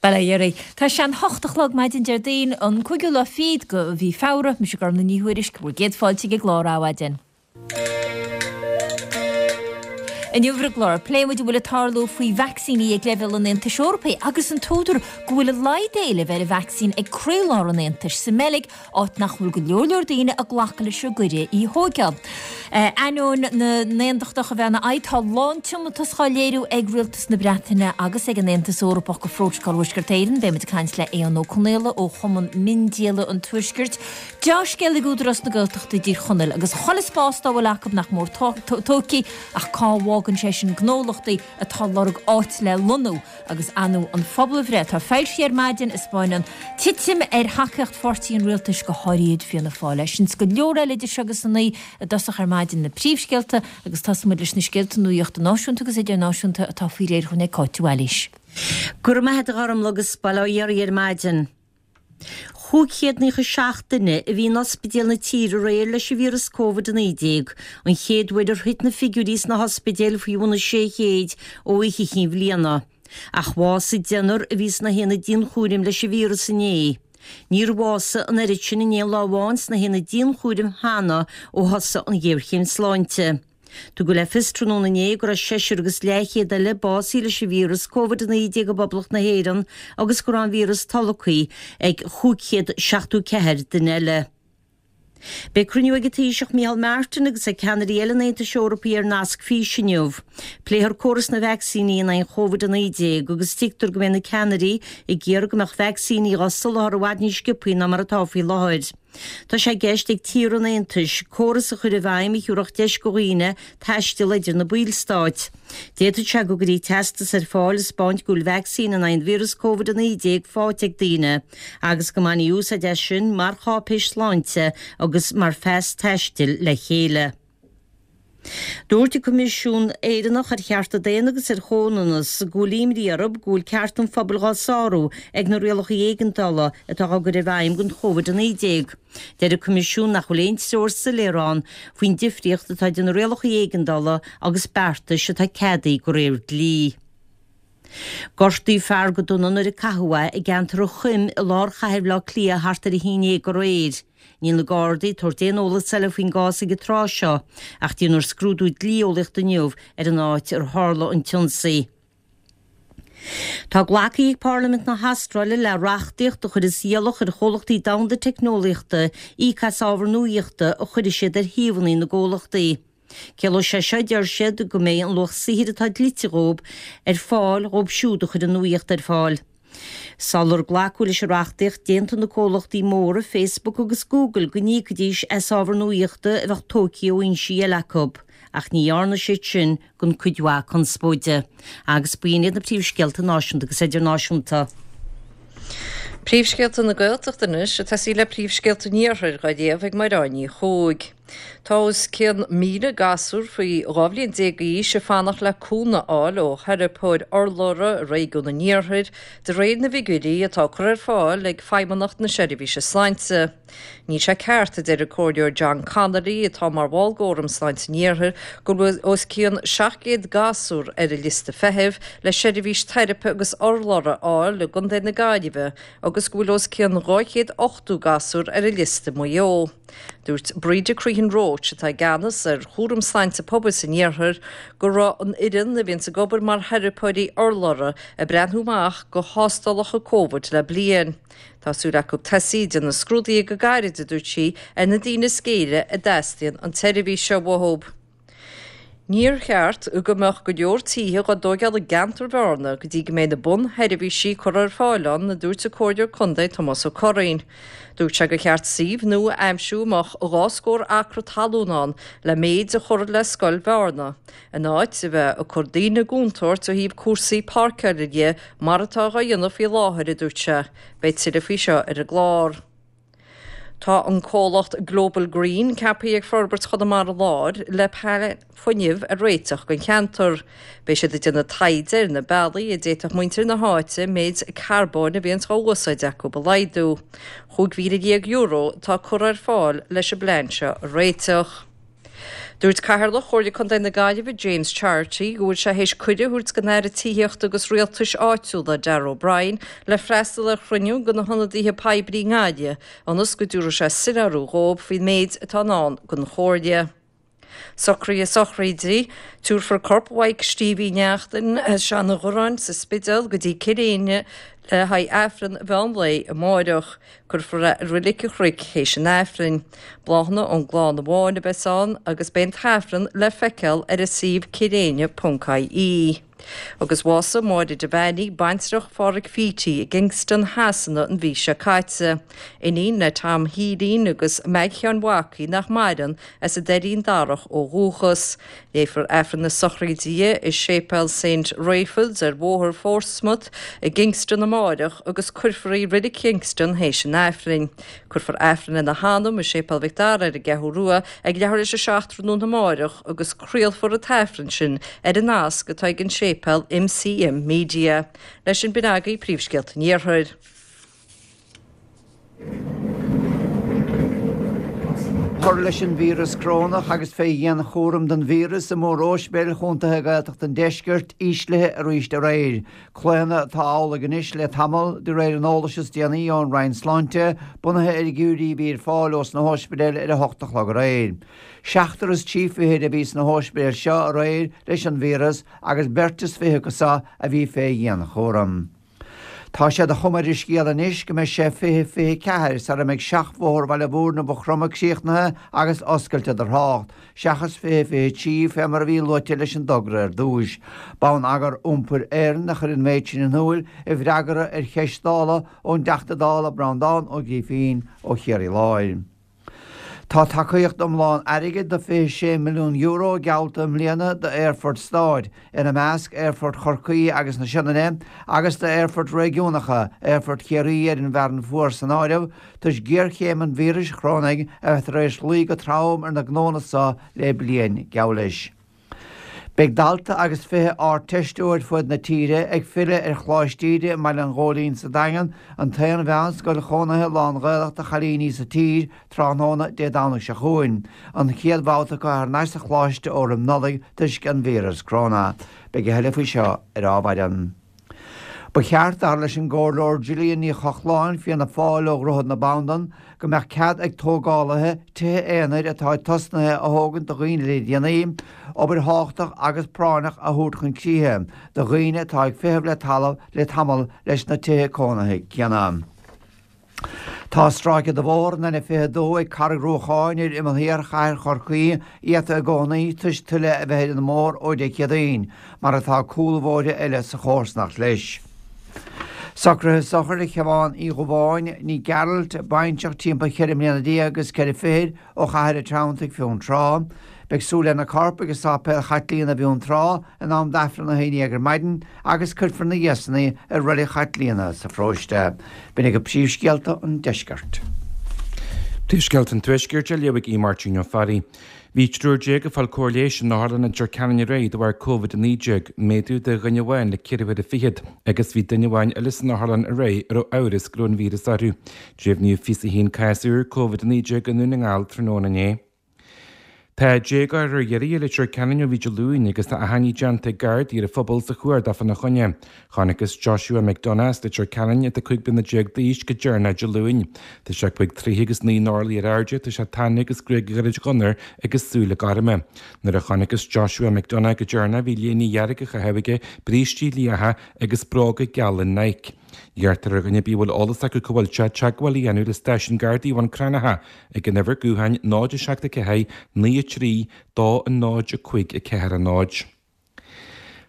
Bail ó Dhia oraibh. Tá sé an hocht a chlog maidin Déardaoin, an cúigiú lá fichead de mhí Feabhra. Mise Gormlaith Ní Thuairisg, bhur gcéad fáilte ag an gclár Adhmhaidin. Inniu ar an gclár, pléifidh muid a bhfuil ag tarlú faoi vacsaíní ag leibhéal an Aontais Eorpaigh agus an t-údar go bhfuil a laghad éilimh ar an vacsaín ag croílár an Aontais, sa mBeilg, áit nach bhfuil go leor leor daoine ag glacadh leis an gcuireadh í thóigeáil. Ainneoin na n-aontachtach a bheith ina aghaidh, tá lán-tiomantas dhá léiriú ag Rialtas na Breataine agus ag an Aontas Eorpach go Phrótocol Thuaisceart Éireann. Beidh muid ag caint le Aodhán Ó Conaola ó Chumann Miondíola an Tuaiscirt. Deá-scéal ag Údarás na Gaeltachta i dTír Chonaill agus chuile spás dá bhfuil acu nach mór tógtha ach cá bhfágann sé sin gnólachtaí atá ag lorg áit le lonnú agus ar ndóigh an phobalbhreith atá foilsithe ar maidin a 'spáineann titim ar thacaíocht pháirtí an rialtais go háirid Fianna Fáil. Sin is go leor eile idir seo agus a 9 i dtosach ar maidin na príomhscéalta agus tosóidh muid leis na scéalta nuaíochta náisiúnta agus idirnáisiúnta atá faoi réir dhúinn ag Cáit Mhaoilís. Go raibh maith a't a Ghormlaith agus bail ó Dhia oraibh ar maidin. 597 duine a bhí in ospidéil na tíre aréir leis an víreas Covid-19, an chéad uair ar thit na figiúirí sna hospidéil faoi bhun an 600 ó Oíche Chinn Bhliana. Ach bhásaigh deichniúr a bhí sna haonaid dianchúraim leis an víreas inné. Níor bhásaigh an oiread sin in aon lá amháin sna haonaid dianchúraim cheana ó thosaigh an ghéarchéim sláinte. Tugadh le fios tráthnóna inné go raibh seisear agus leathchéad eile básaithe leis an víreas Covid-19 i bPoblacht na hÉireann agus go raibh an víreas tolgtha ag 574 duine eile. Beidh cruinniú ag an Taoiseach Micheál Martin agus ag ceannairí eile an Aontais Eorpaigh ar nasc físe inniu. Pléifear córas na vacsaíní in aghaidh an Covid-19 agus tuigtear go mbeidh na ceannairí ag iarraidh go mbeadh vacsaíní dhá soláthar i bhfad níos sciobthaí ná mar atá faoi láthair. Tá sé i gceist ag tíortha an Aontais córas a chur i bhfeidhm a thiúrfadh deis go dhaoine taisteal idir na ballstáit. D'fhéadfadh sé go gcuirfí teastas ar fáil ag 'spáint go bhfuil vacsaín in aghaidh an víreas Covid-19 faighte ag daoine agus go mbainfí úsáid as sin mar cháipéis sláinte agus mar phas taistil le chéile. Dúirt an Coimisiún Éireannach ar Chearta Daonna agus ar Chomhionannas go bhfuil imní orthu go bhfuil cearta an phobail dhá sárú ag na rialacha éigeandála atá á gcur i bhfeidhm don Covid-19. Deir an Coimisiún nach bhfuil aon treoir soiléir ann faoin difríocht atá idir na rialacha éigeandála agus beartais atá ceadaithe de réir dlí. Gortaíodh fear go dona nuair a caitheadh é i gceantar an Choim i lár chathair Bhaile Átha Cliath thart ar 11 aréir. Níl na Gardaí ag tabhairt aon eolas eile faoin gcás ag an tráth seo ach déanfar scrúdú dlí-eolaíochta inniu ar an áit ar tharla an t-ionsaí. Tá glactha ag Parlaimint na hAstráile le reachtaíocht a chuirfeas iallach ar chomhlachtaí domhanda teicneolaíochta íoc as ábhar nuaíochta a chuirfidh siad ar shuíomhanna na gcomhlachtaí. Ciallóidh sé seo, a deir siad, go mbeidh an luach saothair atá dlite dhóibh ar fáil dhóibh siúd a chuir an nuaíocht ar fáil. Sular glacadh leis an reachtaíocht, d'aontaigh na comhlachtaí móra Facebook agus Google go n-íocfaidís as ábhar nuaíochta a bheadh tógtha ó fhoinsí eile acu, ach ní dhearna siad sin gan cuid mhaith conspóide. Agus b'in iad na príomhscéalta náisiúnta agus idirnáisiúnta. Príomhscéalta na Gaeltachta anois, ag tosaí le príomhscéalta an Iarthair dhá léamh ag Mairéad Ní Chuaig. Tá os cionn 1,000 gasúr faoi 12 bhliain d'aois ag fanacht le cúnamh a fháil ó theiripeoir urlabhra i réigiún an Iarthair, de réir na bhfigiúirí atá curtha ar fáil ag Feidhmeannacht na Seirbhíse Sláinte. Níl sé ceart, a deir an Comhairleoir John Connolly, atá mar bhall d'Fhóram Sláinte an Iarthair, go bhfuil os cionn 700 gasúr ar an liosta feithimh le seirbhís teiripe agus urlabhra a fháil i gContae na Gaillimhe agus go bhfuil os cionn 280 gasúr ar an liosta i Maigh Eo. Dúirt Breda Crehan Roche, atá i gceannas ar chúram sláinte pobail san iarthar, go raibh an fhoireann a bhíonns ag obair mar theiripeoirí urlabhra ag breathnú amach go thástálacha Covid le bliain. Tá súil acu tosaí ag déanamh scrúduithe go gairid, a dúirt sí, ar na daoine is géire a dteastaíonn an tseirbhís seo uathu. Níor cheart go mbeadh go leor tithe dhá dtóigeáil i gceantar Bhearna go dtí go mbeidh na bunsheirbhísí curtha ar fáil ann, a dúirt an Comhairleoir Contae Tomás Ó Curraoin. Dúirt sé gur cheart suíomh nua a aimsiú a mbeadh 2 scór acra talún ann le méid a chur le scoil Bhearna, in áit a bheith ag cur daoine i gcontúirt ó thaobh cúrsaí páirceála dhe mar atá dhá dhéanamh faoi láthair, a dúirt sé. Beidh tuilleadh faoi seo ar an gclár. Tá an comhlacht Global Green ceaptha ag Forbairt Chonamara Láir le plean fuinnimh a réiteach don cheantar. Beidh siad ag déanamh taighde ar na bealaí a d'fhéadfadh muintir na háite méid carbóin a bhíonns dhá úsáid acu a laghdú. €15,000 atá curtha ar fáil leis an bplean seo a réiteach. Dúirt Cathaoirleach Chomhairle Contae na Gaillimhe James Charity go bhfuil sé théis cuireadh a thabhairt don Aire Tithíochta agus Rialtais Áitiúla Darragh O'Brien le freastal ar chruinniú de na hionadaithe poiblí i nGaillimh ionas go dtabharfaidh sé soiléiriú dhóibh faoin méid atá i ndán don Chomhairle. Socruithe sochraide, Tabharfar corp Mhaidhc Stevie Uí Neachtain as Seanadh Ghoráin sa Spidéal go dtí Cill Éinne le haghaidh Aifreann mheán lae amáireach. Cuirfear é i Roilig an Chnoic théis an Aifrinn. Bláthanna ón gclann amháin a bheas ann agus beidh an tAifreann le feiceáil ar an suíomh cilléinne.ie. Agus bhásaigh Máire Devaney, baintreach Pháraic Phítí i gKingston Shasana an mhí seo caite. Iníon le Tom Shílín agus Meaig Sheáin Mhacaí nach maireann as an Doirín Darach ó dhúchas. Léifear Aifreann na sochraide di i Séipéal Saint Raphael's ar Bhóthar Phortsmouth i gKingston amáireach agus cuirfear í i Reilig Kingston théis an Aifrinn. Cuirfear Aifreann ina hanam i Séipéal Mhic Dara ar an gCeathrú Rua ag leathuair théis 7 tráthnóna amáireach agus craolfar an tAifreann sin ar an nasc atá ag an séipéal MCM Media. Leis sin b'in agaibh príomhscéalta an Iarthair. Cur leis an víreas corónach agus fé dhianchúram don víreas i móróispidéil chontaetha Ghaeltacht an Deiscirt íslithe arís aréir. Claonadh atá amhlaidh anois le tamall, de réir an eolais is déanaí ón Roinn Sláinte, bunaithe ar fhigiúirí a bhí ar fáil ós na hóispidéil ar 8 a chlog aréir. Seachtar is trí fichid a bhí sna hóispidéil seo aréir leis an víreas agus beirt is fiche acu seo a bhí fé dhianchúram. Tá sé de chuma ar an scéal anois go mbeidh sé 2024 sara mbeidh seachbhóthar Bhaile Mhúirne Mhaigh Chromtha críochnaithe agus oscailte do thrácht, seachas 2023 fé mar a bhí luaite leis an dtogra ar dtúis. Bonneagar Iompair Éireann a chuir an méid sin in iúil i bhfreagra ar cheist Dála ón dTeachta Dála Breandán Ó Grífín ó Chiarraí Láir. Tá tacaíocht iomlán airgid de €26 milliún geallta i mbliana d'aerfoirt stáit, ina measc Aerfort Chorcaí agus na Sionainne, agus d'aerfoirt réigiúnacha, Aerfort Chiarraí ar an bhFearann Fuar san áireamh, toisc géarchéim an víris chorónaigh a bheith tar éis luí go trom ar na gnónna so le bliain geall leis. Beidh dalta agus 20 Ardteisteoir fud na tíre ag filleadh ar Choláiste Íde i mBaile an Ghóilín sa Daingean, an t-aon mheánscoil chónaithe lán-Ghaelach do chailíní sa tír, tráthnóna Dé Domhnaigh seo chugainn, an chéad bhabhta acu thar n-ais sa choláiste ó roim Nollaig toisc an víreas cróna. Beidh a thuilleadh faoi seo ar Adhmhaidin. Ba cheart, dar leis an gComhairleoir Gillian Ní Chochláin, Fianna Fáil ó Dhroichead na Bandan, go mbeadh cead ag tógálaithe tithe aonair atá tosnaithe a thógaint do dhaoine le déanaí, obair thábhachtach agus práinneach a thabhairt chun críche do dhaoine atá ag feitheamh le talamh le tamall leis na tithe cónaithe céanna. Tá stráice de bhóthar an N22 ag Carraig Ruacháin ar imeall thiar chathair Chorcaí iata i gcónaí toisc tuile a bheith ar an mbóthar ó Dé Céadaoin, mar atá cúlbhóithre eile sa chomharsanacht leis. Socruithe sochair Shiobhán Uí Dhubháin, ní Gearailt, baintreach timpeall cheithre mbliana déag agus ceithre fichid ó Chathair an Treanntaigh, Fionntrá. Beidh súil lena corp ag Sáipéal Chaitlíona bhFionntrá in am d'Aifreann 11 ar maidin agus cuirfear ina dhiaidh san í i Reilig Chaitlíona sa pharóiste. B'in agaibh príomhscéalta an deiscirt. Príomhscéalta an Tuaiscirt á léamh ag Aodh Máirtín Ó Fearraigh. Bhí triúr déag ag fáil cóir leighis in Otharlann Leitir Ceanainn aréir de bharr Covid-19, méadú de dhuine amháin le ceithre huaire fichead, agus bhí duine amháin eile san otharlann aréir a raibh amhras go raibh an víreas orthu. Deimhníodh 21 cás úr Covid-19 i nDún na nGall tráthnóna inné. Tá déagóir ar iarraidh i Leitir Ceanainn ó bhí Dé Luain agus tá achainí déanta ag Gardaí ar an phobal sa chuardach fána choinne. Chonacthas Joshua McDonagh as Leitir Ceanainn, atá 15 bliana d'aois, go deireanach Dé Luain. Tá sé cúig troigh agus naoi n-orlaí ar airde, tá sé tanaí agus gruaig ghairid dhonair agus súile gorma. Nuair a chonacthas Joshua McDonagh go deireanach bhí léine dhearg á chaitheamh aige, brístí liatha agus bróga geala Nike. Iarrtar ar dhuine ar bith a bhfuil eolas acu cá bhfuil sé, teagmháil a dhéanamh le Stáisiún Gardaí Bhun Cranncha ag an uimhir gutháin 0 7 4 9 3 2 0 5 4 0.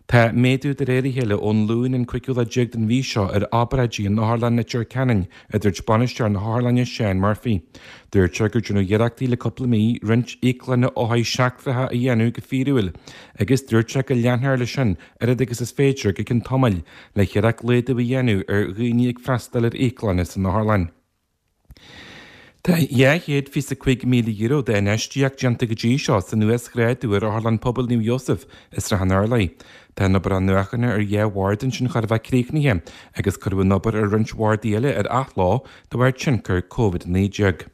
Tá méadú de réir a chéile ón Luan an cúigiú lá déag den mhí seo ar obráidí in Otharlann Leitir Ceanainn, a dúirt bainisteoir na hotharlainne Seán Murphy. Dúirt sé gur déanadh iarrachtaí le cúpla mí roinnt íoclanna othair seachtracha a dhéanamh go fíorúil agus dúirt sé go leanfar leis sin oiread agus is féidir go ceann tamaill le hiarracht laghdú a dhéanamh ar dhaoine ag freastal ar íoclanna san otharlann. Tá €225,000 d'infheistíocht déanta go dtí seo san uasghrádú ar Otharlann Pobail Naomh Iósaf i Srath an Urláir. Tá an obair athnuachana ar dhá bhord ansin chóir a bheith críochnaithe agus cuireadh an obair ar roinnt bhardaí eile ar athló de bharr tionchar Covid-19.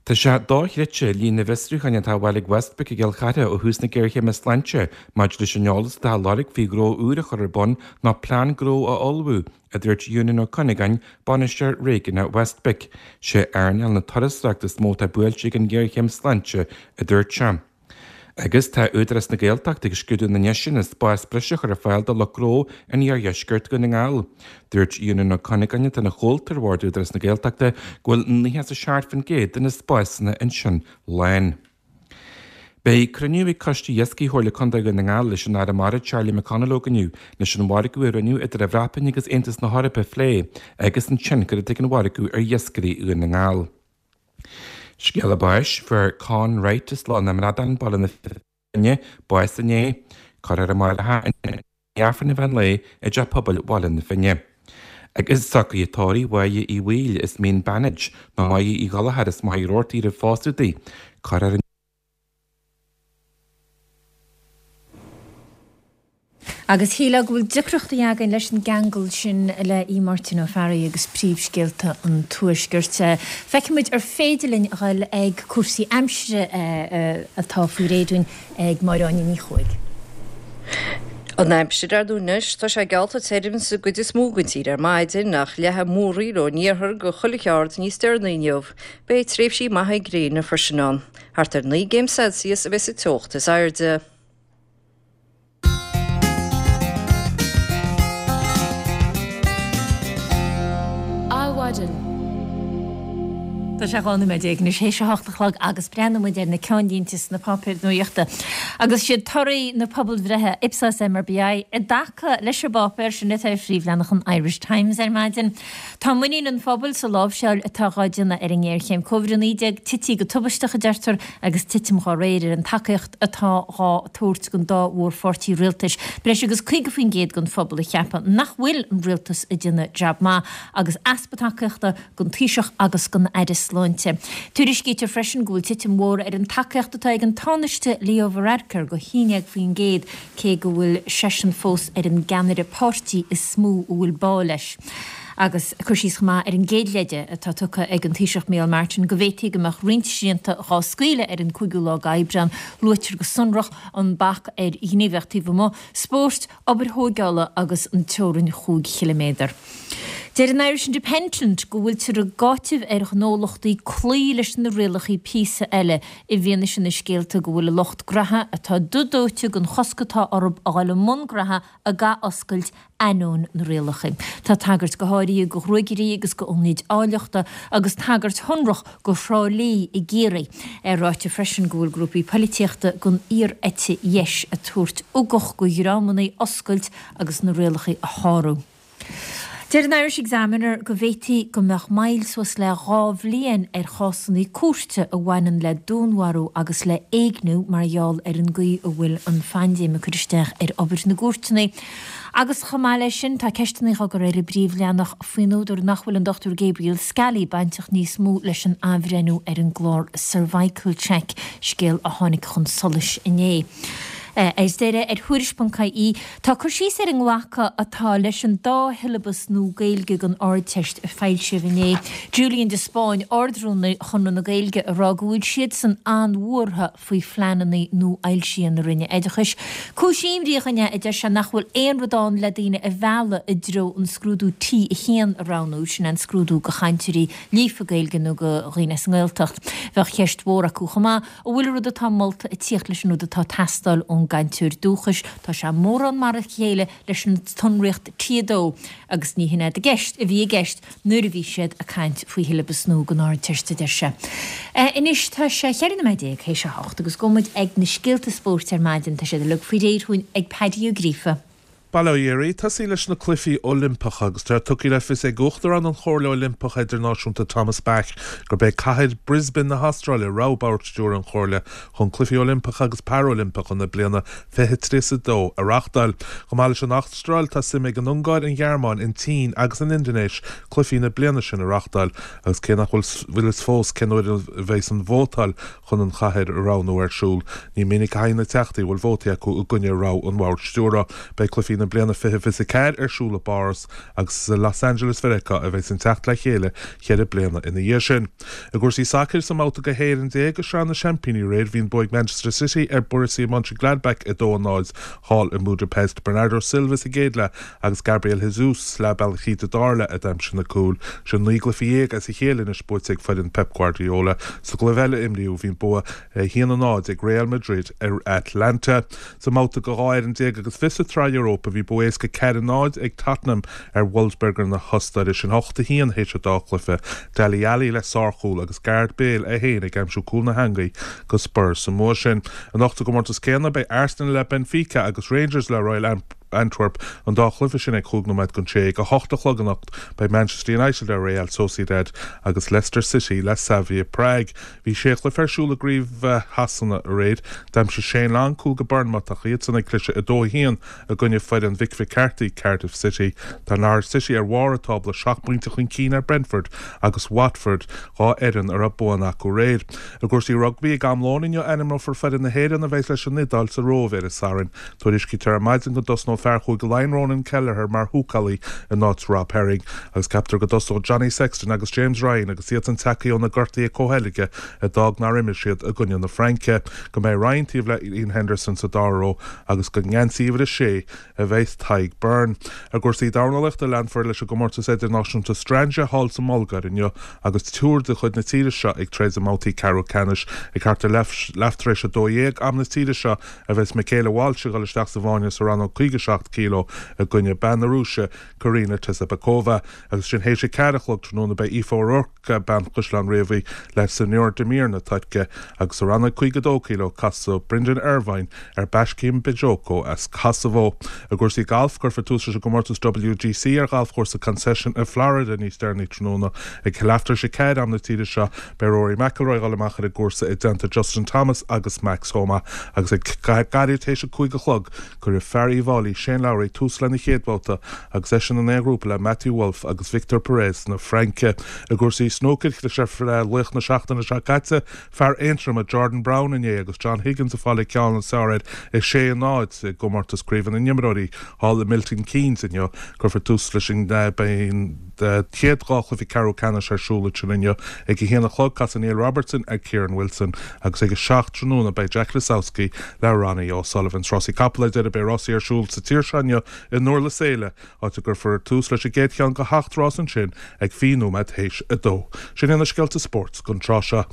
Tá sé dochreidte líon na bhfiosrúcháin atá á bhfáil ag Westpac i gCill Chartha ó thús na géarchéime sláinte maidir leis an eolas atá á lorg faoi ghnó úr a chur ar bun nó plean gnó a ullmhú, a dúirt Eunan Ó Cuinneagáin, Bainisteoir Réigiúnach Westpac. Sé earnáil na turasóireachta is mó atá buailte ag an ghéarchéim sláinte, a dúirt sé. Agus tá Údarás na Gaeltachta ag scrúdú na ndeiseanna spás breise a chur ar fáil do lucht gnó in iardheisceart Dhún na nGall. Dúirt Eunan Ó Cuinneagáin, atá ina chomhalta ar bhord Údarás na Gaeltachta, go bhfuil 97% de na spásanna ansin lán. Beidh cruinniú ag Coiste Iascaigh Chomhairle Contae Dhún na nGall leis an Aire Mara Charlie McConalogue inniu leis an mhargadh a rinneadh idir an Bhreatain agus Aontas na hEorpa a phlé agus an tionchar atá ag an mhargadh ar iascairí Dhún na nGall. Scéala báis, Fuair Con Wright as Loch na mBradán, Baile na Finne, bás inné. Cuirfear é amárach i ndiaidh Aifreann an mheán lae i dTeach Pobail Bhaile na Finne. Agus socruithe tórraimh Mháire Uí Bhaoill as Mín Beannaid, nó Máire Uí Ghallchóir as Machaire Rabhartaigh roimh phósadh di. Cuirfear an. Agus shílfeá go bhfuil deacrachtaí againn leis an gceangal sin le Aodh Máirtín Ó Fearraigh agus príomhscéalta an Tuaiscirt. Feicfidh muid ar féidir linn a dhul ag cúrsaí aimsire atá faoi réir dúinn ag Máire Áine Ní Chuaig. An aimsir ar ndóigh anois, tá sé geallta tirim sa gcuid is mó den tír ar maidin, ach leathfaidh múraíl ón iarthar go coilleach ard níos deireanaí inniu. Beidh tréimhsí maithe gréine freisin ann. Thart ar 9 gcéim Celsius a bheidh sa teocht is airde. Adhmhaidin. Tá sé 12 nóiméad anois théis a hocht a chlog agus breathnóidh muid ar na ceannlínte sna páipéir nuachta. Agus siad torthaí na pobalbhreithe Ipsos MRBI i dtaca leis an bpáipéar sin atá ar phríomhleathanach an Irish Times ar maidin. Tá muinín an phobail sa láimhseáil atá dhá déanamh ar an ngéarchéim Covid-19 tití go tubaisteach, a deirtear, agus titim dhá réir ar an tacaíocht atá dhá tabhairt don dá mhórpháirtí rialtais. Breis agus 50% den phobal a cheapann nach bhfuil an rialtas ag déanamh jab maith agus easpa tacaíochta don Taoiseach agus don Aire Sláinte. Tuairiscítear freisin go bhfuil titim mhór ar an tacaíocht atá ag an Tánaiste Leo Varadkar go 11% cé go bhfuil seisean fós ar an gceannaire páirtí is mó a bhfuil bá leis. Agus cur síos chomh maith ar an gcéad leide atá tugtha ag an Taoiseach Micheál Martin go bhféadfaí go mbeadh roinnt srianta dhá scaoileadh ar an 5ú lá d'Aibreán. Luaitear go sonrach an bac ar ghníomhaíocht taobh amuigh, spóirt, obair thóigeála agus an teorainn chúig chiliméadar. Deir an Irish Independent go bhfuiltear ag áiteamh ar ghnólachtaí cloí leis na rialacha píosa eile i bhfianaise na scéalta go bhfuil a lucht graithe atá dubh dóite den chosc atá orthu a dhul i mbun graithe ag athoscailt ainneoin na rialacha. Tá tagairt go háirithe go ghruaigirí agus go ionaid áilleachta agus tagairt shonrach go Thrá Lí i gCiarraí. É ráite freisin go bhfuil grúpaí poilitíochta den fhíor-eite dheis ag tabhairt ugach go dhreamanna oscailt agus na rialacha a shárú. Deir an Irish Examiner go bhféadfaí go mbeadh moill suas le 2 bhliain ar chásanna cúirte a bhaineann le dúnmharú agus le éigniú mar gheall ar an gcaoi a bhfuil an phaindéim ag cur isteach ar obair na gcúirteanna. Agus chomh maith leis sin, tá ceisteanna á gcur ar an bpríomhleathanach faoin údar nach bhfuil an Dr Gabriel Scally bainteach níos mó leis an athbhreithniú ar an gclár Cervical Check, scéal a tháinig chun solais inné. Ar deireadh, ar Thuairisc.ie, tá cur síos ar an nglacadh atá leis an dá shiollabas nua Gaeilge don Ardteist a foilsíodh inné. Julian de Spáinn, Ard-Rúnaí Chonradh na Gaeilge, ag rá go bhfuil siadsan an-bhuartha faoi phleananna nuafhoilsithe na Roinne Oideachais. Cúis imní dhúinn é, a deir sé, nach bhfuil aon rud ann le daoine a mhealladh i dtreo an scrúdú T1 a roghnú, sin é an scrúdú do chainteoirí líofa Gaeilge nó do dhaoine as an nGaeltacht. Bheadh ceist mhór acu chomh maith, An bhfuil an rud atá molta ag tíocht leis an rud atá ag teastáil ón gcainteoir dúchais? Tá sé mórán mar a chéile leis an tsonraíocht T2 agus ní hin é i gceist a bhí i gceist nuair a bhí siad ag caint faoi shiollabas nua don Ardteist, a deir sé. Anois tá sé 14 nóiméad théis a hocht agus gabhfaidh muid ag na scéalta spóirt ar maidin. Tá siad uilig faoi réir dhúinn ag Paddy Ó Gríofa. Bail ó Dhia oraibh. Tosaí leis na Cluichí Oilimpeacha agus tá tugtha le fios ag Uachtarán an Chomhairle Oilimpeach Idirnáisiúnta Thomas Bach gurb é cathair Brisbane na hAstráile rogha Bhord Stiúrtha an Chomhairle chun Cluichí Oilimpeacha agus Paraoilimpeacha na bliana 2032 a reáchtáil. Chomh maith leis an Astráil tá suim ag an Ungáir, an Ghearmáin, an tSín agus an Indinéis cluichí na bliana sin a reáchtáil agus cé nach bhfuil fhios fós cén uair a bheas an vótáil chun an chathair a roghnú ar siúl. Ní minic a thagann na teachtaí a bhfuil vótaí acu i gcoinne rogha an Bhoird Stiúrtha. Beidh cluichí na. na bliana 2024 ar siúl i bPáras agus is i Los Angeles Mheiriceá a bheidh an teacht le chéile cheithre bliana ina dhiaidh sin. I gcúrsaí sacair, sa mbabhta go 16 fhoireann de Shraith na Seaimpíní aréir, bhí an bua ag Manchester City ar Borussia Mönchengladbach 2-0 thall i mBudapest. Bernardo Silva sa gcéad leath agus Gabriel Jesus leath bealaigh tríd an dara leath a d'aimsigh na cúil. Sin 19 gcluiche as a chéile anois buaite ag foireann Pep Guardiola. Sa gcluiche eile a imríodh, bhí an bua 1-0 ag Real Madrid ar Atalanta. Sa mbabhta go 12 fhoireann agus fiche sa tSraith Europa, bhí bua éasca 4-0 ag Tottenham ar Wolfsberger na hOstaire. Sin 8-1 théis an dá chluiche. Dele Alli le sárchúl agus Gareth Bale é féin ag aimsiú cúl na heangaí go Spurs sa mbua sin. Anocht sa gcomórtas céanna, beidh Arsenal le Benfica agus Rangers le Royal Antwerp, an dá chluiche sin ag chúig nóiméad don sé. Ag a hocht a chlog anocht beidh Manchester United le Real Sociedad agus Leicester City le Slavia Prague. Bhí sé chluiche ar siúl i gCraobh Shasana aréir. D'aimsigh Shane Long cúl go Bournemouth ach iadsan ag cliseadh 2-1 i gcoinne foireann Mhick McCarthy, Cardiff City. Tá Norwich City ar bharr an tábla, seacht bpointe chun cinn ar Brentford agus Watford, dhá fhoireann a raibh buanna acu aréir. I gcúrsaí rugbaí, ag am lóin inniu ainmneofar foireann na hÉireann a bheidh leis an Iodáil sa Róimh ar an Satharn. Tuairiscítear ar maidin go dtosnóidh fear Chúige Laighean Ronan Kelleher mar húcálaí in áit Rob Herring agus ceaptar go dtosóidh Johnny Sexton agus James Ryan agus iadsan tagtha ó na gortuithe comhsheilge a d'fhág nár imir siad i gcoinne na Fraince. Go mbeidh Ryan taobh le Iain Henderson sa dara ró agus go ngeansaí uimhir a sé a bheidh Tadhg Beirne. I gcúrsaí dornálaíochta, leanfar leis an gcomórtas idirnáisiúnta Strandja thall sa mBulgáir inniu agus triúr de chuid na tíre seo ag troid i mbabhtaí ceathrú ceannais. Ag thart ar leath tar éis a 12 am na tíre seo a bheas Michaela Walsh ag dul isteach sa bhfáinne sa rannóg 57 kg i gcoinne bean na Rúise, Karina Tazabekova. Agus ansin théis a ceathair a chlog tráthnóna beidh Aoife O'Rourke, bean Chaisleán Riabhaigh, le Sennur Demir na Tuirce. Agus sa rannóg 52 kg casfaidh Brendan Irvine ar Bashkim Bejoko as Kosovo. I gcúrsaí gailf, cuirfear tús leis an gcomórtas WGC ar ghalfchúrsa Concession i Florida níos deireanaí tráthnóna. Ag leath tar éis a ceathair am na tíre seo, beidh Rory McIlroy ag dul amach ar an gcúrsa i dteannta Justin Thomas agus Max Homa. Agus ag gairid théis a cúig a chlog, cuirfidh fear Uíbh Fhailí, Shane Lowry, tús lena chéad bhabhta agus eisean in aon ghrúpa le Matthew Wolff agus Victor Perez na Fraince. I gcúrsaí snúcair, chlis ar laoch na seachtaine seo caite, Fear Aontroma, Jordan Brown inné agus John Higgins ag fáil an ceann is fearr air 6 0 i gcomórtas Craoibhe na nImreoirí thall i Milton Keynes inniu. Cuirfear tús leis an Beidh an chéad dhá chluiche ceathrú ceannais ar siúl ansin inniu. Ag a haon a chlog casfaidh Neil Robertson ar Kyren Wilson agus ag a seacht tráthnóna beidh Jack Lisowski le Ronnie O'Sullivan. Sna rásaí capall ar deireadh beidh rásaí ar siúl sa tír seo inniu i nDurlas Éile áit a gcuirfear tús leis an gcéad cheann de sheacht rás ansin ag 20 nóiméad théis 2. Sin iad na scéalta spóirt don tráth seo.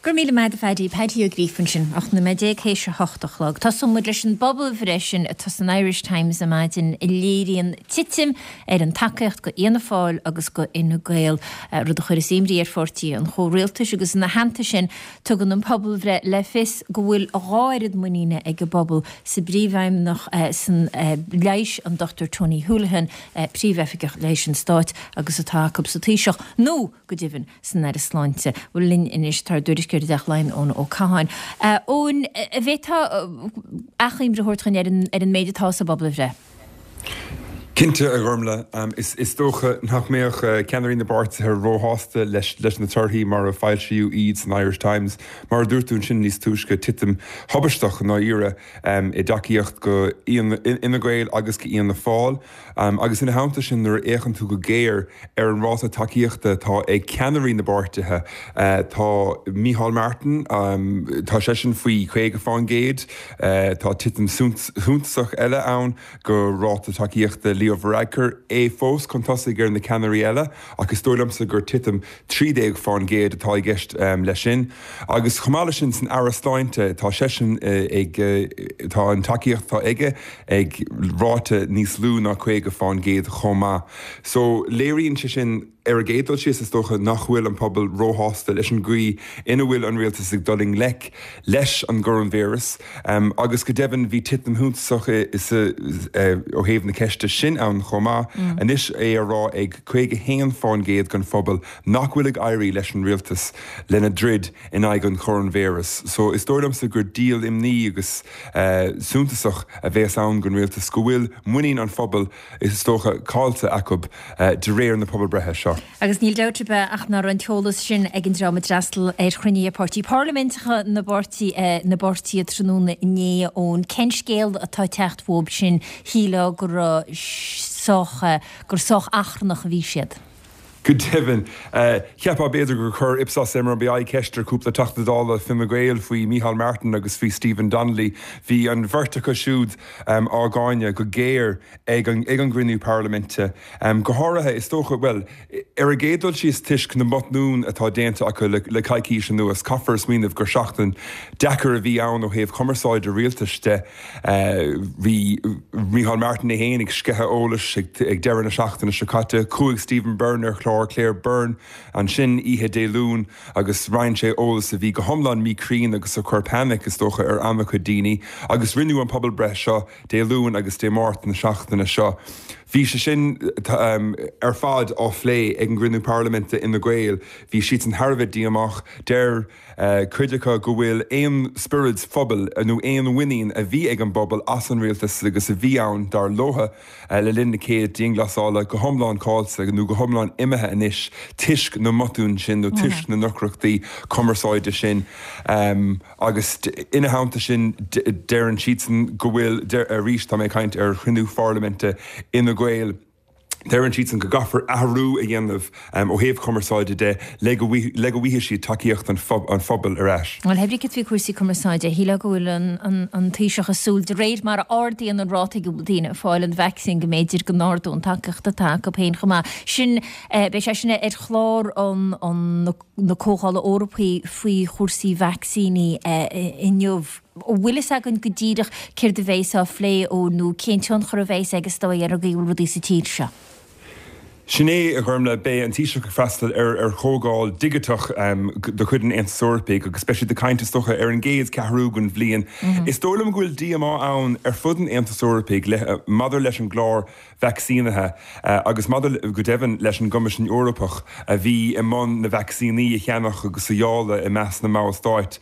Go raibh míle maith agat a Phaddy. Paddy Ó Gríofa ansin, 18 nóiméad théis a hocht a chlog. Tosóidh muid leis an bpobalbhreith sin atá san Irish Times ar maidin a léiríonn titim ar an tacaíocht go Fhianna Fáil agus go Fhine Gael, rud a chuireas imní ar pháirtí an chomhrialtais agus ina theannta sin tugann an pobalbhreith le fios go bhfuil a dhá oiread muiníne ag an bpobal sa bPríomhfheidhmeannach san Leighis, an Dr Tony Holohan, Príomh-Oifigeach Leighis an Stáit, agus atá acu sa Taoiseach, nó, go deimhin, san Aire Sláinte. Bhuel, linn anois tá ár dtuairisceoir i dTeach Laighean, Eoin Ó Catháin. Eoin, an bhféadfá achoimre a thabhairt dhúinn ar an méid atá sa bpobalbhreith? Cinnte, a Ghormlaith. Is dócha nach mbeadh ceannairí na bpáirtithe róshásta leis na torthaí mar a foilsíodh iad san Irish Times. Mar a dúirt tú ansin níos túisce, titim thubaisteach i ndáiríre i dtacaíocht go Fhine Gael agus go Fhianna Fáil. Agus ina theannta sin, nuair a fhéachann tú go géar ar an ráta tacaíochta atá ag ceannairí na bpáirtithe, tá Micheál Martin, tá seisean faoi 50%, tá titim shuntasach eile ann go ráta tacaíochta Leo Varadkar, é fós chun tosaigh ar na ceannairí eile ach is dóigh liomsa gur titim 13% atá i gceist leis sin. Agus chomh maith leis sin, san Aire Sláinte, tá seisean ag, tá an tacaíocht atá aige ag ráta níos lú ná 50% chomh maith. So léiríonn sé sin, ar an gcéad dul síos, is dócha, nach bhfuil an pobal róshásta leis an gcaoi ina bhfuil an rialtas ag dul i ngleic leis an gcoróinvíreas. Agus go deimhin, bhí titim shuntasach ó thaobh na ceiste sin. sin ann chomh maith. Anois é á rá ag 51% den phobal nach bhfuil ag éirí leis an rialtas lena dtroid in aghaidh an choróinvíreas. So is dóigh liomsa gur díol imní agus suntasach a bhéas ann don rialtas go bhfuil muinín an phobail, is dócha, caillte acu de réir na pobalbreithe seo. Agus níl dabht ar bith ach nach raibh an t-eolas sin ag an dream a d'fhreastail ar chruinnithe páirtí parlaiminteacha na bpáirtí na bpáirtithe tráthnóna inné, Eoin. Cén scéal atá ag teacht uathub sin? Shílfeá go raibh sách gur sách achrannach a bhí siad. Go deimhin, cheapfá b'fhéidir gur chuir Ipsos MRBI ceist ar chúpla Teachta Dála Fine Gael faoi Micheál Martin agus faoi Stephen Donnelly. Bhí an bheirt acu siúd á gcáineadh go géar ag an gcruinniú parlaiminte. Go háirithe, is dócha, bhuel, ar an gcéad dul síos toisc na mbotún atá déanta acu le coicís anuas. Caithfear smaoineamh gur seachtain deacair a bhí ann ó thaobh cumarsáide rialtais de. Bhí Micheál Martin é féin ag sceitheadh eolais ag deireadh na seachtaine seo caite. Chuaigh Stephen Byrne ar chlár Claire Byrne ansin oíche Dé Luain agus roinn sé eolas a bhí go hiomlán míchruinn agus a chuir painic, is dócha, ar an-chuid daoine. Agus rinneadh an pobalbhreith seo Dé Luain agus Dé Máirt na seachtaine seo. Bhí sé sin ar fad á phlé ag an gcruinniú parlaiminte Fhine Gael. Bhí siadsan thar a bheith díomách. Deir cuid acu go bhfuil aon spiorad phobail nó aon mhuinín a bhí ag an bpobal as an rialtas agus a bhí ann, dar leo, le linn na céad dianghlasála go hiomlán caillte nó go hiomlán imithe anois toisc na mbotún sin nó toisc na ndeacrachtaí cumarsáide sin. Agus ina theannta sin, deireann siadsan go bhfuil, arís tá mé ag caint ar chruinniú pharlaiminte Fhine Gael, deireann siadsan go gcaithfear athrú a dhéanamh ó thaobh cumarsáide de le go le go bhfaighidh siad tacaíocht an phobail ar ais. Bhuel, pé brí cad faoi chúrsaí cumarsáide, shílfeá go bhfuil an Taoiseach ag súil, de réir mar a ardaíonn an ráta ag a bhfuil daoine ag fáil an vacsaín, go mb'fhéidir go n-ardódh an tacaíocht atá acu féin chomh maith. Sin, beidh sé sin ar chlár an. na Comhdhála Eorpaí faoi chúrsaí vacsaíní inniu. An bhfuil fhios againn go díreach céard a bheas á phlé ó nó cén tionchar a bheas aige is dóigh ar an gcaoi a bhfuil rudaí sa tír seo? Sin é, a Ghormlaith, beidh an Taoiseach ag freastal ar chomhdháil dhigiteach de chuid an Aontais Eorpaigh agus beidh siad ag caint, is dócha, ar an gcéad cheathrú den bhliain. Is dóigh liom go bhfuil díomá ann ar fud an Aontais Eorpaigh maidir leis an gclár vacsaínithe agus maidir, go deimhin, leis an gCoimisiún Eorpach a bhí i mbun na vacsaíní a cheannach agus a dháileadh i measc na mballstáit.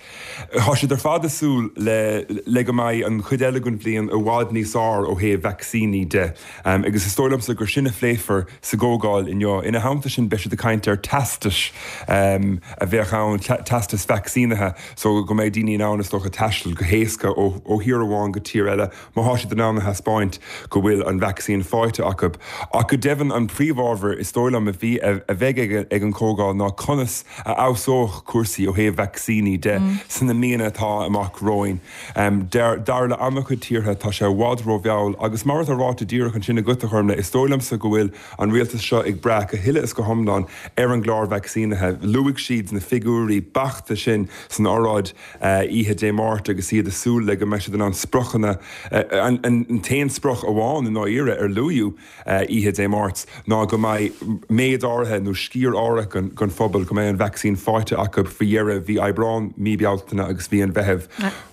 Tá siad ar fad ag súil le le go mbeidh an chuid eile den bhliain i bhfad níos fearr ó thaobh vacsaíní de agus is dóigh liomsa gur sin a phléifear sa gcomhdháil inniu. Ina theannta sin beidh siad ag caint ar teastais a bheadh ann, teastais vacsaínithe so go mbeidh daoine in ann is dócha taisteal go héasca ó thír amháin go tír eile. má thá siad in ann a thaispeáint go bhfuil an vacsaín faighte acu. Ach go deimhin an príomhábhar is dóigh liom a bhí a bheidh ag an chomhdháil ná conas a fheabhsódh cúrsaí ó thaobh vacsaíní de sna míonna atá amach romhainn. Dar le an-chuid tíortha tá sé i bhfad rómhall agus mar atá ráite díreach ansin agat a Ghormlaith, is dóigh liomsa go bhfuil an rialtas seo ag brath go huile is go hiomlán ar an gclár vacsaínithe. Luaigh siad na figiúirí beachta sin san oráid oíche Dé Máirt agus iad ag súil le go mbeidh siad in ann spriocanna, an t-aon sprioc amháin i ndáiríre ar luadh oíche Dé Máirt ná go mbeidh méid áirithe nó sciar áirithe den phobal, go mbeidh an vacsaín faighte acu faoi dheireadh mhí Aibreáin, mí Bealtaine agus mhí an Mheithimh.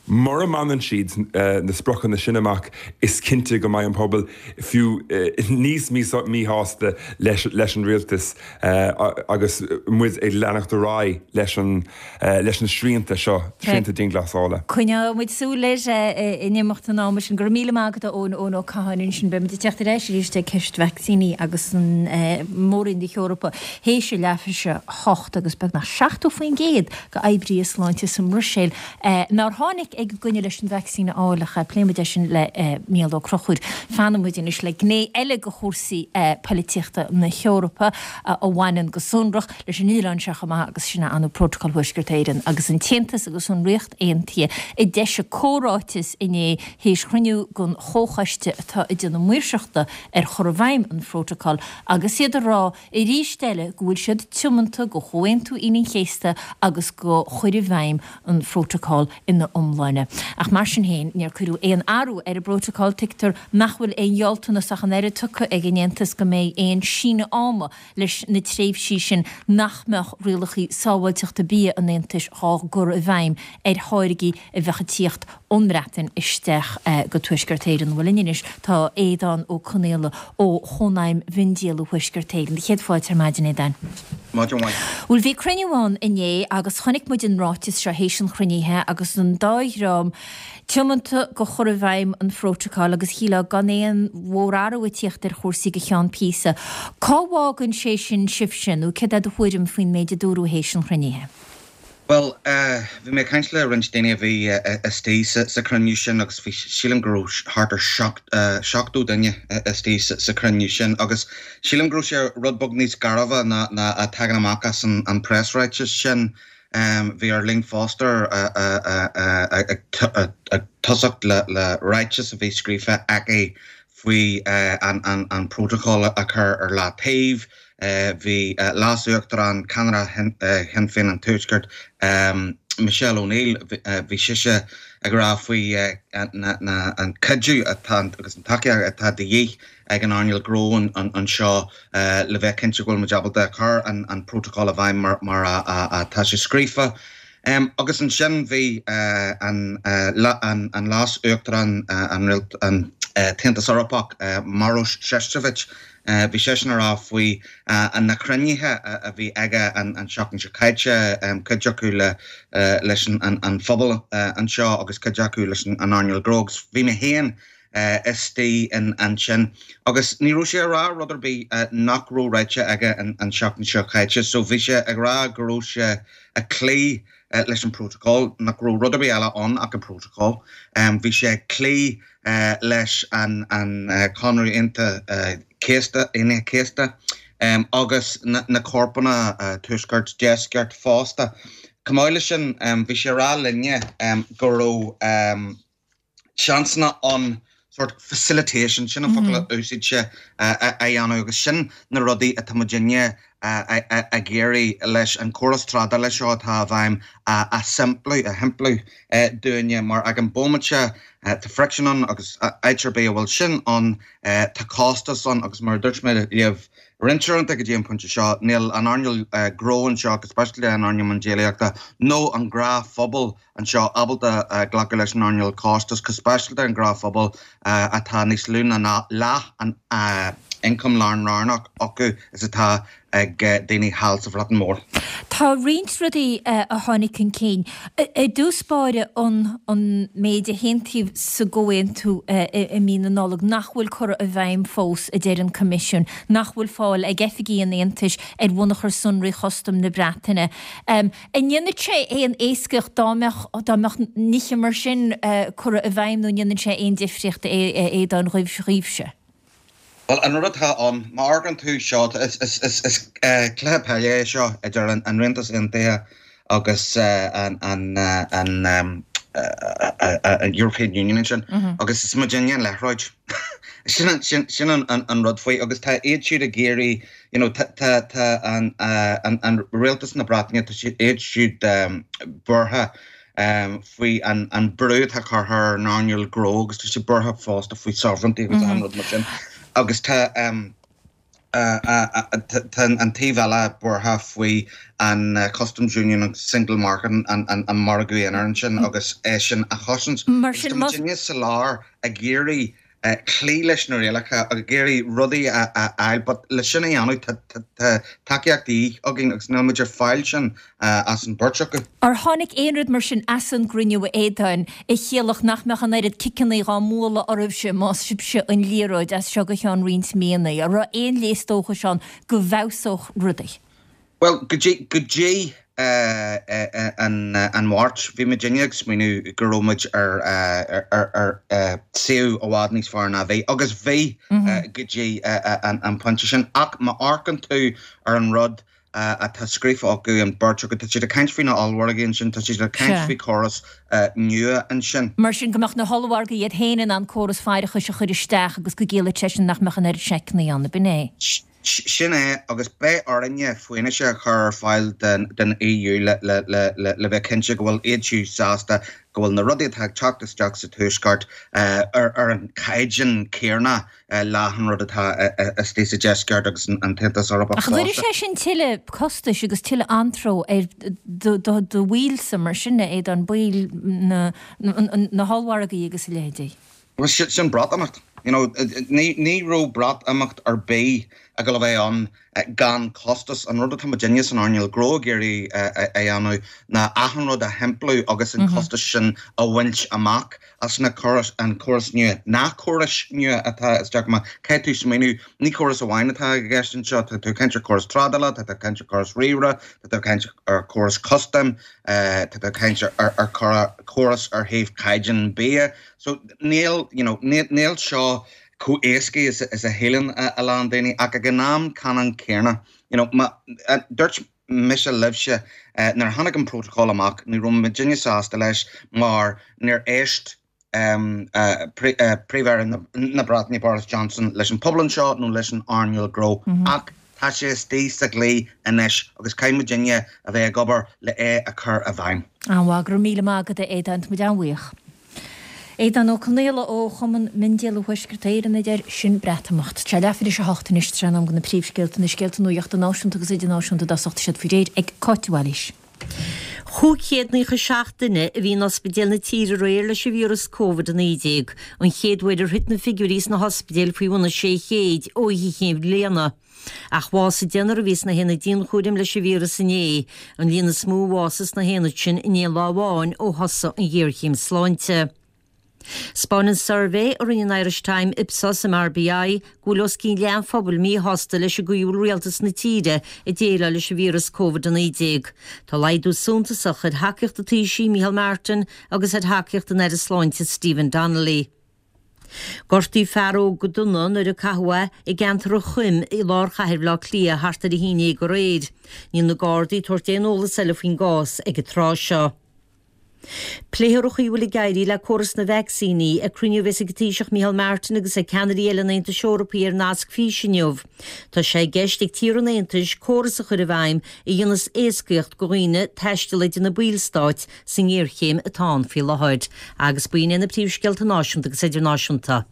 Mura mbaineann siad na spriocanna sin amach is cinnte go mbeidh an pobal fiú níos míshásta leis an rialtas agus muid ag leanacht ar aghaidh leis an leis na srianta seo, srianta dianghlasála. Coinneoidh muid súil air in imeacht an ama sin. Go raibh míle maith agat a Eoin, Eoin Ó Catháin ansin. Beidh muid ag teacht ar ais arís ag ceist vacsaíní agus an Móroinn na hEorpa théis a leathuair théis a hocht agus beagnach 70% d'oibrithe sláinte sa mBruiséil nár tháinig ag an gcoinne leis an vacsaín a fháil ach pléifidh muid é sin le Mícheál Ó Conchúir. Fanfaidh muid anois le gné eile de chúrsaí poilitíochta na hEorpa a bhaineann go sonrach leis an oileán seo chomh maith agus sin é an Prótacal Thuaisceart Éireann agus an tAontas agus an Ríocht Aontaithe a d'eisigh comhráiteas inné théis chruinniú den chomhchoiste atá ag déanamh maoirseachta ar chur i bhfeidhm an Phrótacail agus iad ag rá arís eile go bhfuil siad tiomanta do Chomhaontú Aoine an Chéasta agus do chur i bhfeidhm an Phrótacail ina iomláine. Folláine. Ach mar sin féin, níor cuireadh aon athrú ar an bprótacal. Tuigtear nach bhfuil aon ghealltanas ach an oiread tugtha ag an Aontas go mbeidh aon síneadh ama leis na tréimhsí sin nach mbeadh rialacha sábháilteachta bia an Aontais dhá gcur i bhfeidhm ar tháirgí a bheadh ag tíocht ón mBreatain isteach go Tuaisceart Éireann. Bhuel linn anois tá Aodhán Ó Conaola ó Chónaidhm Mhiondíola Thuaisceart Éireann. Céad fáilte ar maidin, Aodhán. Maidin mhaith. Bhuel bhí cruinniú ann inné agus chonaic muid an ráiteas seo théis an chruinnithe agus an dá dhream tiomanta go chur i bhfeidhm an phrótacail agus shílfeá gan aon mhórathrú ag tíocht ar chúrsaí go cheann píosa. Cá bhfágann sé sin sibhse nó céard é do thuairim faoin méid a dúradh théis an chruinnithe? Bhuel, bhí mé ag caint le roinnt daoine a bhí istigh sa chruinniú sin agus bhí, sílim go raibh thart ar 70 duine istigh sa chruinniú sin agus sílim go raibh sé rud beag níos gairbhe ná a tagann amach as an preasráiteas sin. Bhí Arlene Foster ag tosacht le ráiteas a bhí scríofa aici faoi an prótacal a chur ar leataobh. Bhí Leas-Uachtarán, ceannaire Shinn Féin an Tuaiscirt, Michelle O'Neill, bhí sise ag rá faoi an cuidiú atá agus an tacaíocht atá de dhíth ag an earnáil ghnó anseo le bheith cinnte go bhfuil muid ábalta cur an prótacal i bhfeidhm mar atá sé scríofa. Agus ansin bhí an Leas-Uachtarán an tAontas Eorpach, Maroš Šefčovič, bhí seisean ag rá faoi na cruinnithe a bhí aige an tseachtain seo caite, cuid acu leis an phobal anseo agus cuid acu leis an earnáil ghnó. Agus bhí mé féin istigh ansin agus ní raibh sé ag rá rud ar bith nach raibh ráite aige an tseachtain seo caite. So bhí sé ag rá go raibh sé ag cloí leis an prótacal, nach raibh rud ar bith eile ann ach an prótacal. Bhí sé ag cloí leis an Conradh Aontaithe Céasta, Aoine Chéasta, agus na corpanna Tuaisceart Deisceart fosta. Chomh maith leis sin, bhí sé ag rá linne go raibh seansanna ann sort facilitation, sin an focal a úsáid sé, a dhéanamh agus sin na rudaí atá muidinne ag iarraidh leis an córas trádála seo atá i bhfeidhm a simpliú, a shimpliú dúinne mar ag an bómaite tá friction ann agus áit ar bith a bhfuil sin ann tá costas ann agus mar a dúirt mé libh roinnt uaireanta go dtí an pointe seo níl an earnáil gnó anseo go speisialta an earnáil miondíolaíochta nó an gnáthphobal anseo ábalta glacadh leis an earnáil costais, go speisialta an gnáthphobal atá níos lú ná leath an ioncam lánroghnach acu is atá ag daoine thall sa Bhreatain Mhór. Tá roinnt rudaí a tháinig chun cinn. I dtús báire an an méid a haontaíodh sa gcomhaontú i mí na Nollag nach bhfuil curtha i bhfeidhm fós, a deir an Coimisiún, nach bhfuil fáil ag oifigigh an Aontais ar bhunachar sonraí chustaim na Breataine. An ndéanfadh sé aon éascaíocht dá mbeadh, dá mbeadh nithe mar sin curtha i bhfeidhm nó an ndéanann sé aon difríocht a Aodáin dhaoibhse? Bhuel, an rud atá ann, má amharcann tú seo, is, is, is, is cluiche peile é seo idir an, an Rialtas Aontaithe agus an, an, an, an European Union ansin agus is muidinne an liathróid. Sin an, sin, sin an, an, an rud faoi agus tá iad siúd ag iarraidh you know, tá, tá, tá an, an, an rialtas na Breataine, tá siad, iad siúd buartha faoi an, an brú atá curtha ar an earnáil gnó agus tá siad buartha fosta faoi sovereignty agus achan rud mar sin. Agus tá, tá an taobh eile buartha faoi an Customs Union agus Single Market, an, an, an margadh aonair ansin agus é sin a chosaint. Mar sin, Agus tá muidinne sa lár ag iarraidh cloí leis na rialacha ag iarraidh rudaí a fháil but le sin a dhéanamh tá tacaíocht de dhíth againn agus níl muid ag fáil sin as an beirt acu. Ar tháinig aon rud mar sin as an gcruinniú a Aodáin a chiallódh nach mbeadh an oiread ciceanna dhá mbualadh oraibhse más sibhse an liathróid as seo go ceann roinnt míonna? An raibh aon léas dóchais ann go bhfeabhsódh rudaí? Bhuel, go dtí, go dtí an Mháirt, bhí muidinne ag smaoineamh go raibh muid ar, ar, ar suíomh i bhfad níos fearr ná a bhí, agus bhí go dtí an pointe sin. Ach má amharcann tú ar an rud atá scríofa acu, an beirt acu, tá siad ag caint faoi na ollmhargaí ansin, tá siad ag caint faoi chóras nua ansin. Mar sin, go mbeadh na hollmhargaí iad féin in ann córas faireachais a chur isteach agus go gciallódh sé sin nach mbeadh an oiread seiceanna ann, ab in é? Sin é, agus beidh orainne fianaise a chur ar fáil don EU le bheith cinnte go bhfuil iad siúd sásta go bhfuil na rudaí atá ag teacht isteach sa Tuaisceart ar an chaighdeán céanna le an rud atá istigh sa Deisceart agus an tAontas Eorpach Ach an gcuirfidh sé sin tuilleadh costais agus tuilleadh anró ar do bhaill-sa mar sin, a Aodáin, baill na hollmhargaí agus a leithéidí? Bhuel, sin Breatimeacht. You know, ní raibh Breatimeacht ar bith ag dul a bheith ann gan costas. An rud atá muidinne san earnáil gnó ag iarraidh a dhéanamh ná achan rud a shimpliú agus an costas sin a bhaint amach as na córais, an córas nua, na córais nua atá isteach. Má caithfidh tú smaoineamh, ní córas amháin atá i gceist anseo, tá tú ag caint ar chóras trádála, tá tú ag caint ar chóras ríomhaire, tá tú ag caint ar chóras custaim, tá tú ag caint ar chóras ar thaobh caighdeán bia. So níl, you know, níl seo chomh éasca is a shíleann a lán daoine ach ag an am ceannann céanna, you know, má, dúirt mise libhse nuair a tháinig an protocol amach ní raibh muidinne sásta leis mar níor éist Príomh-Aire na Breataine Boris Johnson leis an pobal anseo nó leis an earnáil gnó ach tá sé istigh sa dhlí anois agus caithfidh muidinne a bheith ag obair le é a chur i bhfeidhm. An-mhaith, go raibh míle maith agat a Aodáin, tá muid an-bhuíoch. Aodán Ó Conaola ó Chumann Miondíola Thuaisceart Éireann a deir, Sin Breatimeacht. Tá sé leathuair tar éis a hocht anois, tráth in am do na príomhscéalta, na scéalta nuachta náisiúnta agus idirnáisiúnta i dtosach, tá siad faoi réir ag Cáit de Bhailís. 597 duine a bhí in ospidéil na tíre aréir leis an víreas Covid-19, an chéad uair ar thit na figiúirí sna hospidéil faoi bhun an 600 ó Oíche Chinn Bhliana. Ach bhásaigh deichniúr a bhí sna haonaid dianchúraim leis an víreas inné, an líon is mó a bhásaigh sna haonaid sin in aon lá amháin ó thosaigh an ghéarchéim sláinte. 'Spáineann suirbhé a rinne an Irish Time, Ipsos, MRBI go bhfuil os cionn leath an phobail míshásta leis an gcaoi a bhfuil rialtas na tíre ag déileáil leis an víreas Covid-19. Tá laghdú suntasach ar thacaíocht an Taoisigh, Micheál Martin, agus ar thacaíocht an Aire Sláinte, Stephen Donnelly. Gortaíodh fear óg go dona nuair a caitheadh é i gceantar an Choim i lár chathair Bhaile Átha Cliath thart ar 11 aréir. Níl na Gardaí ag tabhairt aon eolas eile faoin gcás ag an tráth seo. Pléifear an chaoi a bhfuil ag éirí le córas na vacsaíní ag cruinniú a bheas ag an Taoiseach Micheál Martin agus ag ceannairí eile an Aontais Eorpaigh ar nasc físe inniu. Tá sé i gceist ag tíortha an Aontais córas a chur i bhfeidhm a dhéanfas éascaíocht do dhaoine taisteal idir na ballstáit sa ngéarchéim atá ann faoi láthair. Agus b'in iad na príomhscéalta náisiúnta agus idirnáisiúnta.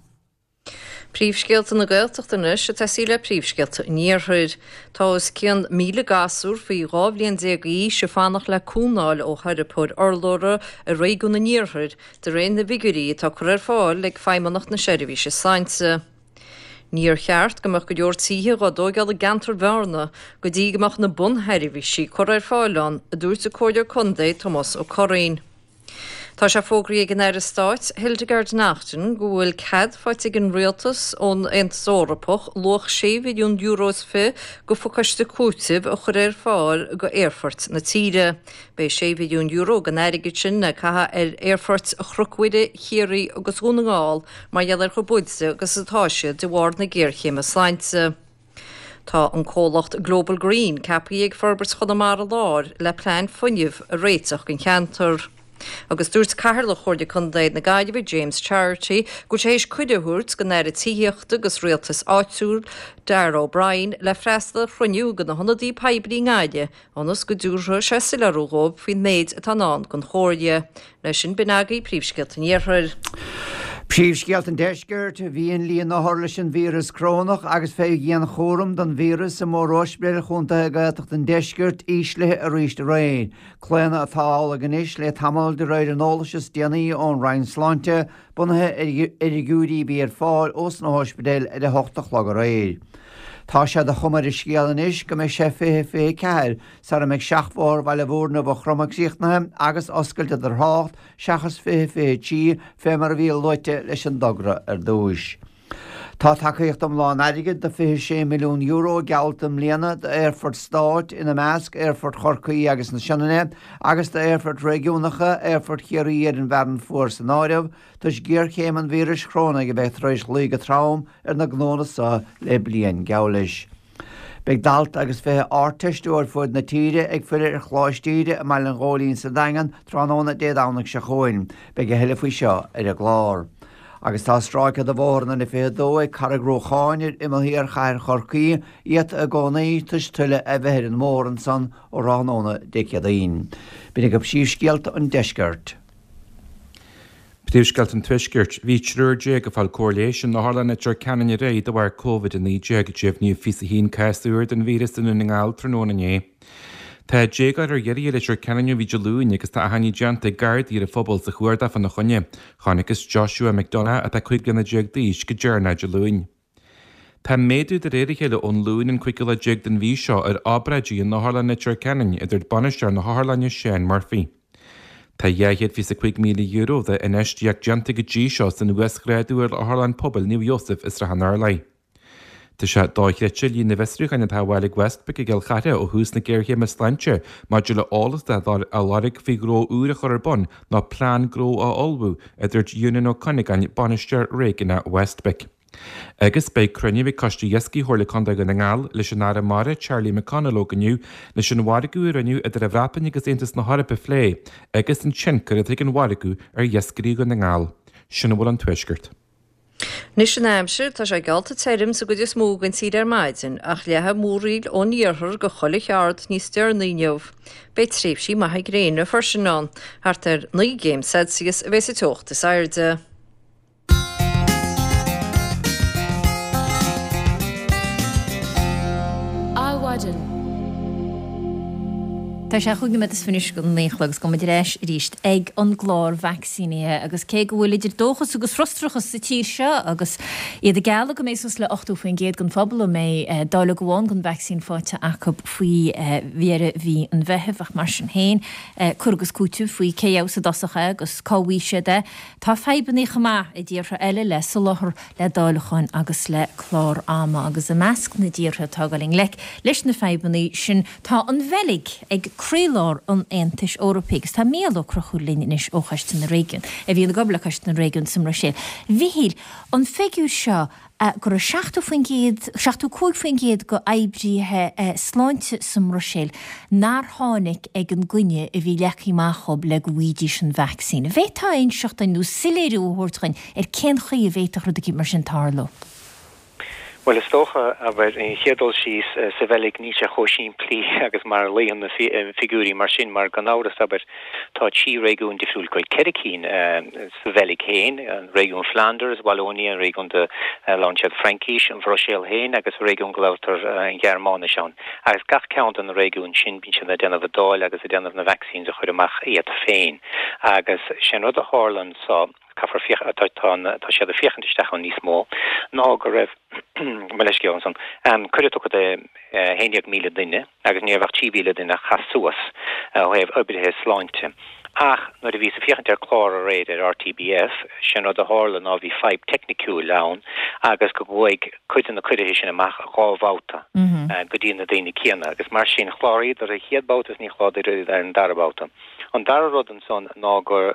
Príomhscéalta na Gaeltachta anois ag tosaí le príomhscéalta an Iarthair. Tá os cionn 1,000 gasúr faoi 12 bhliain d'aois ag fanacht le cúnamh a fháil ó theiripeoir urlabhra i réigiún an Iarthair, de réir na bhfigiúirí atá curtha ar fáil ag Feidhmeannacht na Seirbhíse Sláinte. Níor cheart go mbeadh go leor tithe dhá dtóigeáil i gceantar Bhearna go dtí go mbeadh na bunsheirbhísí curtha ar fáil ann, a dúirt an Comhairleoir Contae Tomás Ó Curraoin. Tá sé fógraithe ag an Aire Stáit Hildegarde Naughton go bhfuil cead faighte ag an Rialtas ón Aontas Eorpach luach €6 mhilliún is fi go phacáiste cúitimh a chur ar fáil go aerfoirt na tíre. Beidh €6 mhilliún den airgead sin le caitheamh ar aerfoirt Chnoc Mhuire, Chiarraí agus Dhún na nGall mar gheall ar chomh buailte agus atá siad de bharr na géarchéime sláinte. Tá an comhlacht Global Green ceaptha ag Forbairt Chonamara Láir le plean fuinnimh a réiteach don cheantar. Agus dúirt Cathaoirleach Chomhairle Contae na Gaillimhe James Charity go bhfuil sé théis cuireadh a thabhairt don Aire Tithíochta agus Rialtais Áitiúil Darragh O'Brien le freastal ar chruinniú de na hionadaí poiblí i nGaillimh ionas go dtabharfaidh sé soiléiriú dhóibh faoin méid atá i ndán don Chomhairle. Leis sin, b'in agaibh príomhscéalta an Iarthair. Príomhscéalta an Deiscirt, Bhí an líon othar leis an víreas corónach agus fé dhianchúram don víreas i mórospidéil chontaetha Gaeltachta an Deiscirt íslithe arís aréir. Claonadh atá amhlaidh anois le tamall de réir an eolais is déanaí ón Roinn Sláinte, bunaithe ar fhigiúirí a bhí ar fáil ós na hóispidéil ar a hocht a chlog aréir. Tá sé de chuma ar an scéal anois go mbeidh sé 2024 sara mbeidh seachbhóthar Bhaile Mhúirne Mhaigh Chromtha críochnaithe agus oscailte do thrácht seachas 2023 fé mar a bhí luaite leis an dtogra ar dtúis. Tá tacaíocht iomlán airgid de €26 milliún geallta i mbliana d'aerfoirt stáit, ina measc Aerfort Chorcaí agus na Sionainne, agus d'aerfoirt réigiúnacha, Aerfort Chiarraí ar an bhFearann Fuar san áireamh, toisc géarchéim an víris chorónaigh a bheith tar éis luí go trom ar na gnónna so le bliain geall leis. Beidh dalta agus 20 Ardteisteoir fuaid na tíre ag filleadh ar Choláiste Íde i mBaile an Ghóilín sa Daingean tráthnóna Dé Domhnaigh seo chugainn. Beidh a thuilleadh faoi seo ar an gclár. Agus tá stráice de bhóthar an N22 ag Carraig Ruacháin ar imeall thiar chathair Chorcaí iata i gcónaí toisc tuile a bheith ar an mbóthar ansan ó thráthnóna Dé Céadaoin. B'in agaibh príomhscéalta an deiscirt. Príomhscéalta an Tuaiscirt. Bhí triúr ag fáil cóir leighis in Otharlann Leitir Ceanainn aréir de bharr Covid-19. Deimhníodh 21 cás úr den víreas i nDún na nGall tráthnóna inné. Tá déagóir ar iarraidh i Leitir Ceanainn ó bhí Dé Luain agus tá achainí déanta ag Gardaí ar an phobal sa chuardach fána choinne. Chonacthas Joshua McDonagh, atá 15 bliana d'aois, go deireanach Dé Luain. Tá méadú de réir a chéile ón Luan an cúigiú lá déag den mhí seo ar obráidí in Otharlann Leitir Ceanainn, a dúirt bainisteoir na hotharlainne Seán Murphy. Tá €225,000 d'infheistíocht déanta go dtí seo san uasghrádú ar Otharlann Pobail Naomh Iósaf i Srath an Turlaigh. Tá sé dochreidte líon na bhfiosrúcháin atá á bhfáil ag Westpac i gCill Chartha ó thús na géarchéime sláinte maidir le eolas atá á lorg faoi ghnó úr a chur ar bun nó plean gnó a ullmhú, a dúirt Eunan Ó Cuinneagáin, Bainisteoir Réigiúnach Westpac. Agus beidh cruinniú ag Coiste Iascaigh Chomhairle Contae Dhún na nGall leis an Aire Mara Charlie McConalogue inniu leis an mhargadh a rinneadh idir an Bhreatain agus Aontas na hEorpa a phlé agus an tionchar atá ag an mhargadh ar iascairí Dhún na nGall. Sin a bhfuil ón Tuaisceart. Anois an aimsir, tá sé geallta tirim sa gcuid is mó den tír ar maidin, ach leathfaidh múraíl ón iarthar go chuile cheard níos deireanaí inniu. Beidh tréimhsí maithe gréine freisin ann. Thart ar 9 gcéim Celsius a bheidh sa teocht is airde. Adhmhaidin. Tá sé chúig nóiméad is fiche anois go naoi a chlog agus gabhfaidh muid ar ais arís ag an gclár vacsaínithe agus cé go bhfuil idir dóchas agus frustrachas sa tír seo agus iad ag gealladh go mbeidh suas le 80% den phobal a mbeidh dáileog amháin den vacsaín faighte acu faoi dheireadh mhí an Mheithimh ach mar sin féin cur agus cúiteamh faoi cé a gheobhas i dtosach é agus cá bhfaighidh siad é. Tá fadhbanna chomh maith i dtíortha eile le soláthar le dáileacháin agus le clár ama agus i measc na dtíortha atá ag dul i ngleic leis na fadhbanna sin tá an Bheilg ag croílár an Aontais Eorpaigh agus tá Mícheál Ó Conchúir linn anois ó Choiste na Réigiún, a bhíonn ag obair le Coiste na Réigiún sa mBruiséil. A Mhichíl, an figiúr seo go raibh 70%, 75% de oibrithe sláinte sa mBruiséil nár tháinig ag an gcoinne a bhí leagtha amach dhób le go bhfaighidís an vacsaín. An bhféadfá a inseacht duinn nó soiléiriú a thabhairt dhuinn ar cén chaoi a bhféadfadh rud eicínt mar sin tarlú. Bhuel, is dócha, abair, an chéad dul síos, sa Bheilg níl sé chomh simplí agus mar a luíonn na figiúirí mar sin, mar gan amhras, abair, tá trí réigiún difriúil, bhuel, ceithre cinn sa Bheilg féin, an réigiún Flanders, Wallonia, an réigiún de labhrann siad Fraincís, an Bhruiséil féin agus an réigiún go labhartar an Ghearmáinis ann. Agus gach ceann de na réigiúin sin, bíonn siad ag déanamh a dtoil agus ag déanamh na vaccines a chur amach iad féin. Agus sé an rud a tharla anso, caithfear féach, tá, tá, tá siad ag féachaint isteach ann níos mó ná go raibh, mo leithscéal ansan, cuireadh tugtha do 11,000 duine agus ní raibh ach 3,000 duine a chas suas ó thaobh oibrithe sláinte. Ach nuair a bhíothas ag féachaint ar clár aréir ar RTBF, sé'n rud a tharla ná bhí fadhb teicniciúil ann agus go gcuaigh cuid de na cuirithe sin amach dhá bhabhta go dtí na daoine céanna agus mar sin chláraíodar an chéad babhta is ní chláraíodar ar an dara babhta. An dara rud ansan ná gur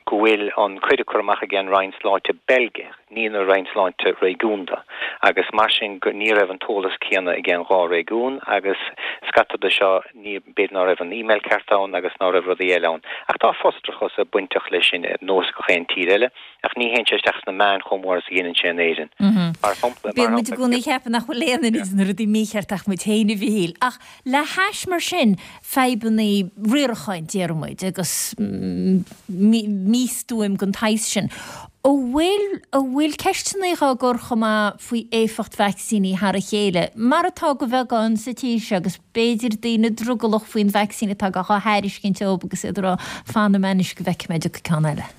go bhfuil an cuireadh curtha amach ag an Roinn Sláinte Beilgeach, ní na Roinn Sláinte réigiúnda, agus mar sin go ní raibh an t-eolas céanna ag an dhá réigiún agus scata de seo ní b'fhéidir ná raibh an email ceart ann agus ná raibh rudaí eile ann. Ach tá frustrachas bainteach leis sin ar nós gach aon tír eile ach ní théann sé isteach sna meáin chomh mór is a dhéanann sé in Éirinn. Mar shampla, mar Bíonn muid i gcónaí ag ceapadh nach bhfuil aon duine de na rudaí mícheart ach muid féin a Mhichíl. Ach Le hais mar sin fadhbanna riaracháin, déarfaidh muid, agus místuaim den tsaghas sin, an bhfuil, an bhfuil ceisteanna á gcur chomh maith faoi éifeacht vacsaíní thar a chéile, mar atá go bheagán sa tír seo, agus b'fhéidir daoine drogallach faoin vacsaín atá á thairiscint dóibh agus iad ag rá, fanfaidh mé anois go bhfeicfidh mé an dtiocfaidh ceann eile.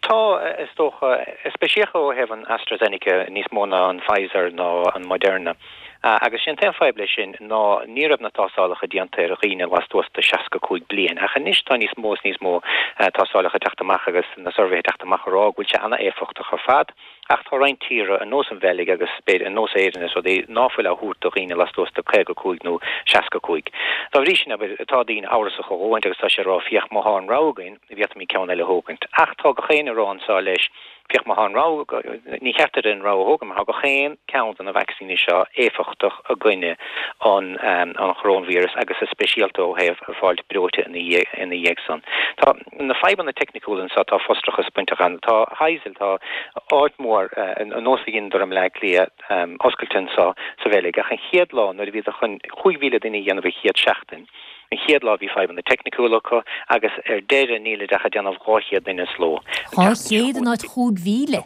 Tá, is dócha, speisialta ó thaobh an AstraZeneca níos mó ná an Pfizer nó an Moderna. Agus sé an t-aon fadhb leis sin ná ní raibh na tástálacha déanta ar dhaoine lastuas de 65 bliain. Ach anois tá níos mó is níos mó tástálacha ag teacht amach agus na suirbhéithe ag teacht amach a rá go bhfuil sé an-éifeachtach ar fad. Ach tá roinnt tíortha, ar nós an Bheilg agus b'fhéidir ar nós Éireann is rudaí, ná fuil á thabhairt do dhaoine lastuas de 55 nó 65. Dá bhrí sin, abair, tá daoine amhrasach a dhóthaint agus tá siad ag rá, féach, má thá an rogha againn, bhféadfaimid ceann eile a thógaint. Ach tá gach éinne ag rá anseo leis. Féach má tá an rogha, ní cheart duit an rogha a thógáil mar tá gach aon ceann de na vacsaíní seo éifeachtach i gcoinne an an choróinvíreas agus is speisialta ó thaobh fáilt breoite ina dhiaidh ina dhiaidh san. Tá na fadhbanna teicniciúla anseo, tá frustrachas bainteach ann. Tá Heysel, tá áit mhór ar nós a dheineadar i mBleá Cliath oscailte anseo sa Bheilg ach an chéad lá nuair a bhíodar chun 5,000 duine a dhéanamh an chéad seachtain, An chéad lá bhí fadhbanna teicniciúla acu agus ar deireadh nílid ach ag déanamh 200 duine sa ló. 200 in áit 5,000?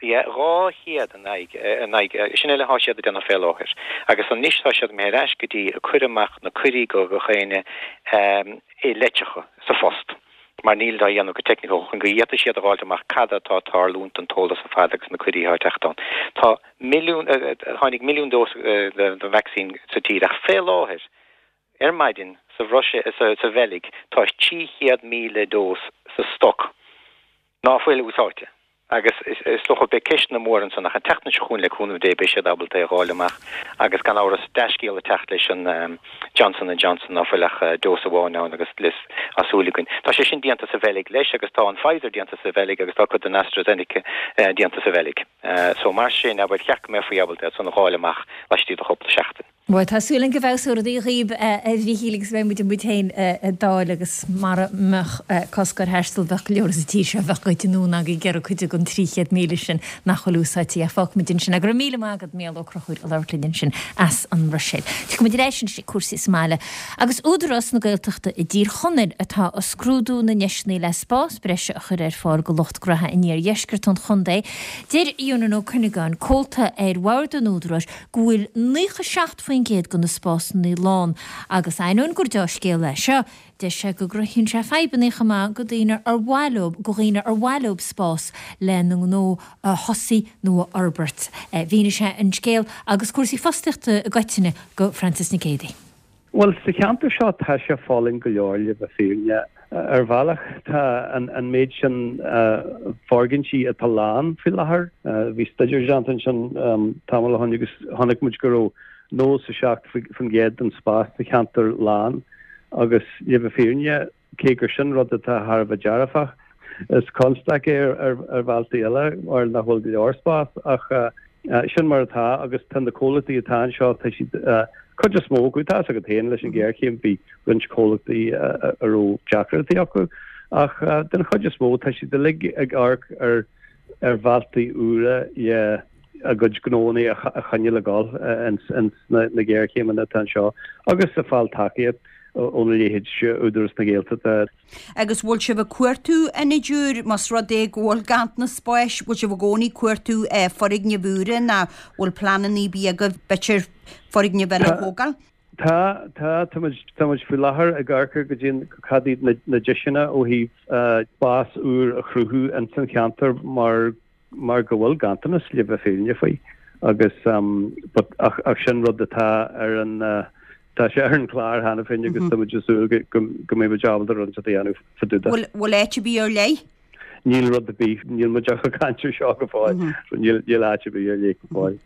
Yeah, 200 in aghaidh, in aghaidh, sin uile atá siad ag déanamh fé láthair. Agus anois tá siad imithe ar ais go dtí ag cur amach na cuirí go gach éinne i litreacha sa phost mar nílid á dhéanamh go teicniciúil chun go bhféadfaidh siad a dh'fháilt amach cad atá ag tarlúint an t-eolas ar fad agus na cuirí atá ag teacht ann. Tá milliún, tháinig milliún dós den vacsaín sa tír ach fé láthair Ar maidin, sa Bhruiséil, sa Bheilg, tá 300,000 dós sa stoc ná fuil úsáidte agus is dócha beidh ceisteanna móra ansan ach an tseachtain seo chugainn le cúnamh Dé beidh siad ábalta é a dh'fháil amach agus gan amhras dea-scéal ag teacht leis an Johnson and Johnson ná fuil ach dós amháin ann agus tá súil againn. Tá sé sin déanta sa Bheilg leis agus tá an Pfizer déanta sa Bheilg agus tá cuid den AstraZeneca déanta sa Bheilg. So mar sin, abair, cheart go mbeifí ábalta iad san a dh'fháil amach laistigh de chúpla seachtain. Bhuel, tá súil agam go bhfeabhsóidh rudaí dhaoib, a Mhíchíl, agus beidh muid muid féin ag dáil agus mara mbeadh cosc ar thaisteal bheadh go leor sa tír seo a bheadh goite anonn ag iarraidh cuid den 300,000 sin nach bhfuil úsáidte. Ach fágfaimid ansin é. Go raibh míle maith agat, Mícheál Ó Conchúir, ag labhairt linn ansin as an mBruiséil. Tiocfaidh muid ar ais anois ag cúrsaí sa mbaile. Agus Údarás na Gaeltachta i dTír Chonaill atá ag scrúdú na ndeiseanna le spás breise a chur ar fáil go lucht gnaithe in iardheisceart an chontae. Deir Eunan Ó Cuinneagáin, comhalta ar bhord an Údaráis, go bhfuil 97% de na spásanna lán agus ainneoin gur deá-scéal é seo, deir sé go gcruthaíonn sé fadhbanna chomh maith go daoine ar mhaith leo go dhaoine ar mhaith leo spás lena ngnó a thosaí nó a fhorbairt. Mhínigh sé an scéal agus cúrsaí fostaíochta i gcoitinne go Frances Nic Géadaigh. Bhuel, sa cheantar seo tá sé folaing go leor, le bheith fírinne. Ar bhealach tá an méid sin foirgintí atá lán faoi láthair. Bhí staidéar déanta ansin tamall ó shin agus chonaic muid go raibh 97% den spás sa cheantar lán agus le bheith fírinne, Cé gur sin rud atá thar a bheith dearfach, is constaic é ar bhealtaí eile mar nach bhfuil go leor spás ach sin mar atá agus tá na comhlachtaí atá anseo, tá siad, cuid is mó acu, tá fhios agat féin leis an ghéarchéim bhí roinnt comhlachtaí a raibh deacrachtaí acu ach den chuid is mó tá siad uilig ag amharc ar ar bhealtaí úra le a gcuid gnónna a choinneáil ag dul ins na géarchéimeanna atá anseo agus ag fáil tacaíocht óna leithéid Údarás na Gaeltachta. Agus bhfuil sibh ag cuartú ionaid úr, más rud é go bhfuil ganntanas spáis, bhfuil sibh i gcónaí ag cuartú foirgnimh úra nó bhfuil pleananna ar bith agaibh b'fhéidir foirgnimh eile a thógáil? Tá, tá, tá muid, tá muid faoi láthair ag amharc ar goidé cad iad na, na deiseanna ó thaobh spás úr a chruthú ins an cheantar mar mar go bhfuil ganntanas le bheith fírinne faoi agus but ach ach sin rud atá ar an tá sé ar an chlár cheana féin agus tá muid ag súil go go go mbeidh muid ábalta rud a dhéanamh fá dtaobh de. Bhfuil bhfuil áit ar bith ar leith? Níl rud ar bith, níl muid ach ag caint ar seo go fóill, so níl níl áit ar bith ar leith go fóill.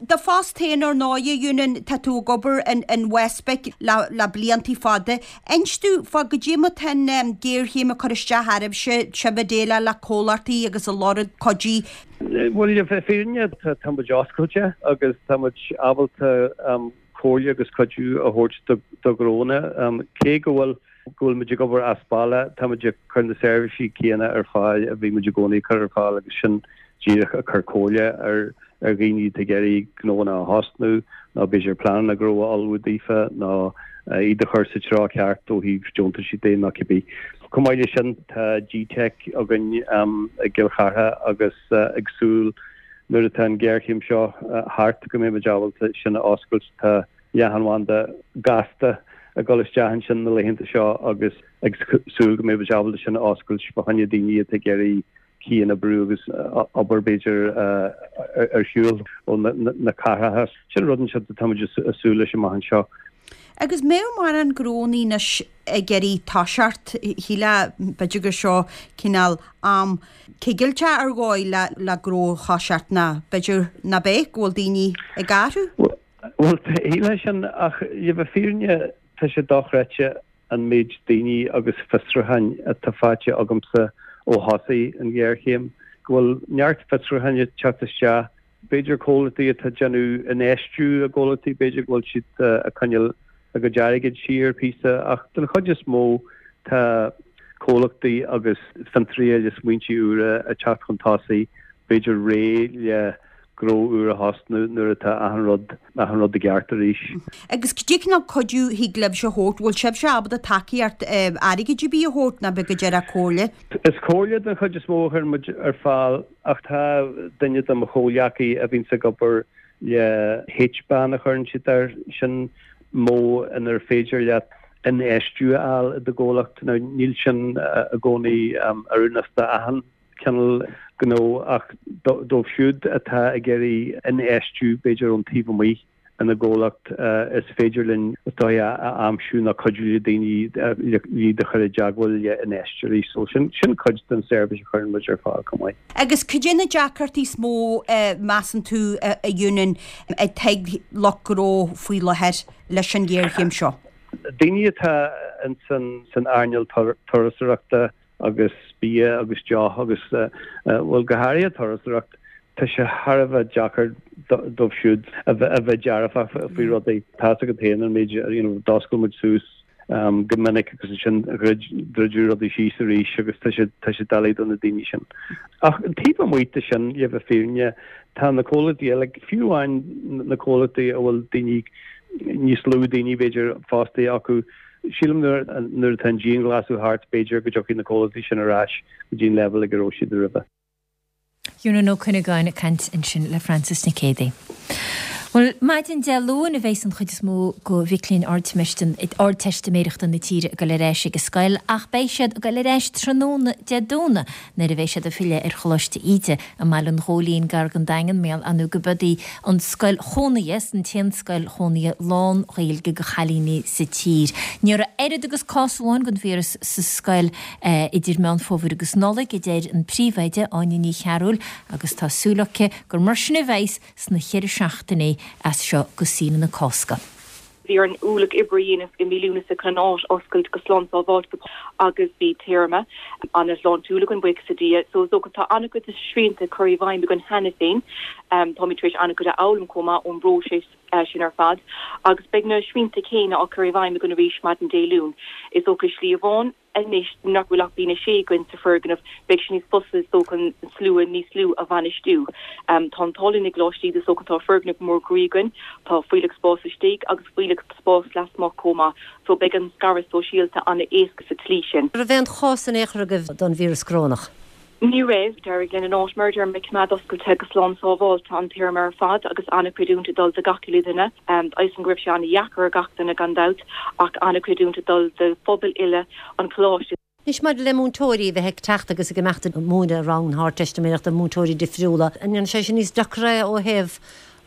Do phost féin ar ndóigh, a Eunan, tá tú ag obair in in WestBIC le le bliantaí fada. Inis domh fá goidé mar tá an géarchéim ag cur isteach oraibhse, sibh ag déileáil le comhlachtaí agus ag lorg cuidí. Bhuel, le bheith fírinne, tá muid oscailte agus tá muid ábalta comhairle agus cuidiú a thabhairt do do ghnónna. Cé go bhfuil go bhfuil muid ag obair as baile, tá muid ag cur na seirbhísí céanna ar fáil a bhí muid i gcónaí ag cur ar fáil agus sin díreach ag cur comhairle ar ar dhaoine atá ag iarraidh gnóanna a thosnú nó b'fhéidir pleananna gnó a ullmhú daofa nó iad a chur sa treo ceart ó thaobh deontaisí de nó cibé. Chomh maith leis sin tá GTeic againn i gCill Chartha agus ag súil nuair atá an ghéarchéim seo thart go mbeidh muid ábalta sin a oscailt. Tá leathanbhanda gasta ag dul isteach ansin na laethanta seo agus ag súil go mbeidh muid ábalta sin a oscailt fá choinne daoine atá ag iarraidh cianoibriú agus obair b'fhéidir ar shiúl ó na cathracha. Sin rud anseo atá muid ag súil leis amach anseo. Agus mbeadh mórán gnónnaí anois ag iarraidh toiseacht, shílfeá b'fhéidir gur seo cineál am cigilteach ar dhóigh le gnó a thoiseacht nó b'fhéidir ná beidh, go bhfuil daoine ag athrú? Bhuel, shílfeá sin, ach le bheith fírinne, tá sé dochreidte an méid daoine agus fiosrúcháin atá faighte agamsa ó thosaigh an ghéarchéim. go bhfuil neart fiosrúcháin ag teacht isteach. B'fhéidir comhlachtaí atá ag déanamh infheistiú i gcomhlachtaí, b'fhéidir go bhfuil siad ag coinneáil a gcuid airgid siar píosa ach den chuid is mó tá comhlachtaí agus fiontraithe le smaointe úra ag teacht chun tosaigh, b'fhéidir réidh le gnó úr a thosnú nuair atá achan rud, achan rud i gceart arís. Agus cad é cineál cuidiú thig libhse a thabhairt, bhfuil sibhse ábalta tacaíocht airgid ar bith a thabhairt nó ab ea go díreach comhairle? Is comhairle den chuid is mó a chuireann muid ar fáil ach tá duine de mo chomhghleacaí a bhíonns ag obair le HBAN a chuireann siad air, sin modh inar féidir leat infheistiú a fháil i do gcomhlacht. Now níl sin i gcónaí oiriúnach d'achan cineál gnó ach dóibh siúd atá ag iarraidh infheistiú b'fhéidir ón taobh amuigh ina gcomhlacht is féidir linn is dóigh a aimsiú nó cuidiú le daoine iad a chur i dteagmháil le infheisteoirí. So sin sin cuid den seirbhís a chuireann muid ar fáil chomh maith. Agus cad é na deacrachtaí is mó measann tú a Eunan atá ag lucht gnó faoi láthair leis an ghéarchéim seo? Daoine atá in san earnáil turasóireachta agus bia agus deoch agus, bhuel, go háirithe turasóireacht, tá sé thar a bheith deacair dóibh siúd a bheith dearfach faoi rudaí. Tá's agat féin an méid, you know, d'oscail muid suas go minic agus ansin druideadh rudaí síos arís agus tá sé, tá sé doiligh do na daoine sin. Ach taobh amuigh de sin, le bheith fírinne, tá na comhlachtaí eile, fiú amháin na comhlachtaí a bhfuil daoine, níos lú daoine b'fhéidir fostaithe acu, Sílim nuair atá an dianghlasáil thart, b'fhéidir go dtiocfaidh na comhlachtaí sin ar ais go dtí an leibhéal ag a raibh siad roimhe. Eunan Ó Cuinneagáin ag caint ansin le Frances Nic Géadaigh. Bhuel, maidin Dé Luain a bheas an chuid is mó de mhic léinn Ardteistiméireachta na tíre ag dul ar ais ag an scoil ach beidh siad ag dul ar ais tráthnóna Dé Domhnaigh nuair a bheidh siad ag filleadh ar Choláiste Íde i mBaile an Ghóilín gar don Daingean, mar gheall ar ndóigh gurb í an scoil chónaithe, an t-aon scoil chónaithe lán-Ghaeilge do chailíní sa tír. Ní raibh oiread agus cás amháin den víreas sa scoil idir Meán Fómhair agus Nollaig, a deir an príomhoide, Áine Ní Chearúil, agus tá súil aici gur mar sin a bheas sna cheithre seachtainí as seo go saoire na Cásca. Bhí orainn ualach oibre a dhéanamh i mí Lúnasa chun an áit a oscailt go slán sábháilte agus bhí téarma an-shláintiúil againn, buíochas le Dia. So is dócha tá an-chuid de shrianta curtha i bhfeidhm againn cheana féin. Táimid tar éis an-chuid a fhoghlaim chomh maith ón bpróiseas sin ar fad agus beidh na srianta céanna á cur i bhfeidhm againn arís maidin Dé Luain. Is dócha slí amháin. Anois nach bhfuil ach daoine 6 againn sa foirgneamh, beidh sé níos fusa is dócha an slua níos lú a bhainistiú. Tá an t-ádh linn i gColáiste Íde is dócha, tá foirgneamh mór groí againn, tá fuílleach spáis istigh agus fuílleach spáis lasmuigh chomh maith, so beidh an scaradh sóisialta an-éasca sa tslí sin. An raibh aon chás in aon chor agaibh don víreas corónach? Ní raibh. D'éirigh linn an áit, mar a deirim, a choimeád oscailte go slán sábháilte an téarma ar fad agus an-chreidiúint ag dul do gach uile dhuine. Tá a fhios agam go raibh sé an-dheacair ar gach duine gan dabht ach an-chreidiúint ag dul do phobal uile an choláiste. Anois maidir le múinteoirí a bheith ag teacht agus ag imeacht ag múineadh rang na hArdteistiméireachta, múinteoirí difriúla, an ndéanann sé sin níos deacra é ó thaobh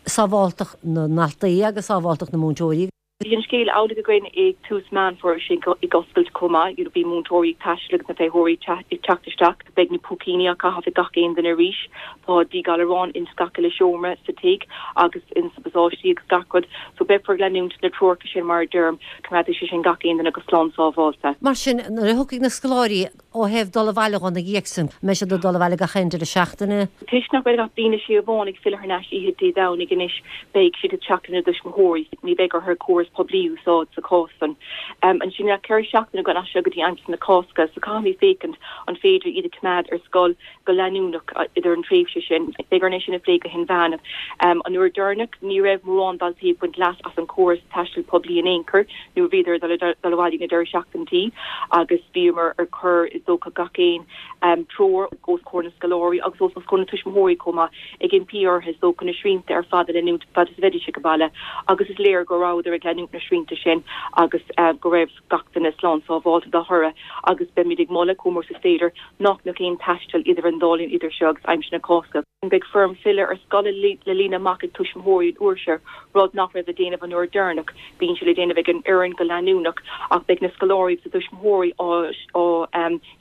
sábháltacht na ndaltaí agus sábháltacht na múinteoirí? Bhí an scéal amhlaidh againn ag tús Meán Fómhair sin ag oscailt chomh maith. You know bhí múinteoirí ag taisteal agus na feitheoirí ag teacht isteach. Beidh na púicíní á caitheamh ag gach aon duine arís. Tá díghalarán ins gach uile seomra sa tigh agus ins na pasáistí agus gach rud. So beifear ag leanúint na treoracha sin mar a deirim, coimeádfaidh sé sin gach aon duine go slán sábháilte. Mar sin, nuair a thiocfaidh na scoláirí Ó thaobh dul abhaile dhó ina dhiaidh sin, an mbeidh siad ag dul abhaile gach aon deireadh seachtaine? Toisc nach bhfuil ach bliain a sé amháin ag filleadh thar n-ais oíche Dé Domhnaigh anois, beidh siad ag teacht lena dtuismitheoirí. Ní bheidh orthu córas poiblí a úsáid sa chás san. Ansin tá 4 seachtaine againn as seo go dtí aimsir na Cásca, so caithfimid féachaint an féidir iad a choimeád ar scoil go leanúnach idir an tréimhse sin. Beidh orainn é sin a phlé go hinmheánach. An uair deireanach, ní raibh mórán daltaí ag baint leas as an chóras taistil poiblí in aon chor nuair a bhíodar ag dul abhaile ag na deireadh seachtaintí agus bhíomar ag cur is dócha gach aon treoir os comhair na scoláirí agus os comhair na tuismitheoirí chomh maith ag impí orthu is dócha na srianta ar fad a leanúint fad is a bheidís ag baile agus is léir go rabhadar ag leanúint na srianta sin agus go raibh gach duine slán sábháilte dá thoradh agus beimid ag moladh, chomh mór is is féidir, nach mbeadh aon taisteal idir an dá linn idir seo agus aimsir na Cásca. Beidh foirm filleadh ar scoil le líonadh amach ag tuismitheoirí an uair seo, rud nach raibh le déanamh an uair deireanach. Bíonn sé le déanamh ag an fhoireann go leanúnach ach beidh na scoláirí agus a dtuismitheoirí á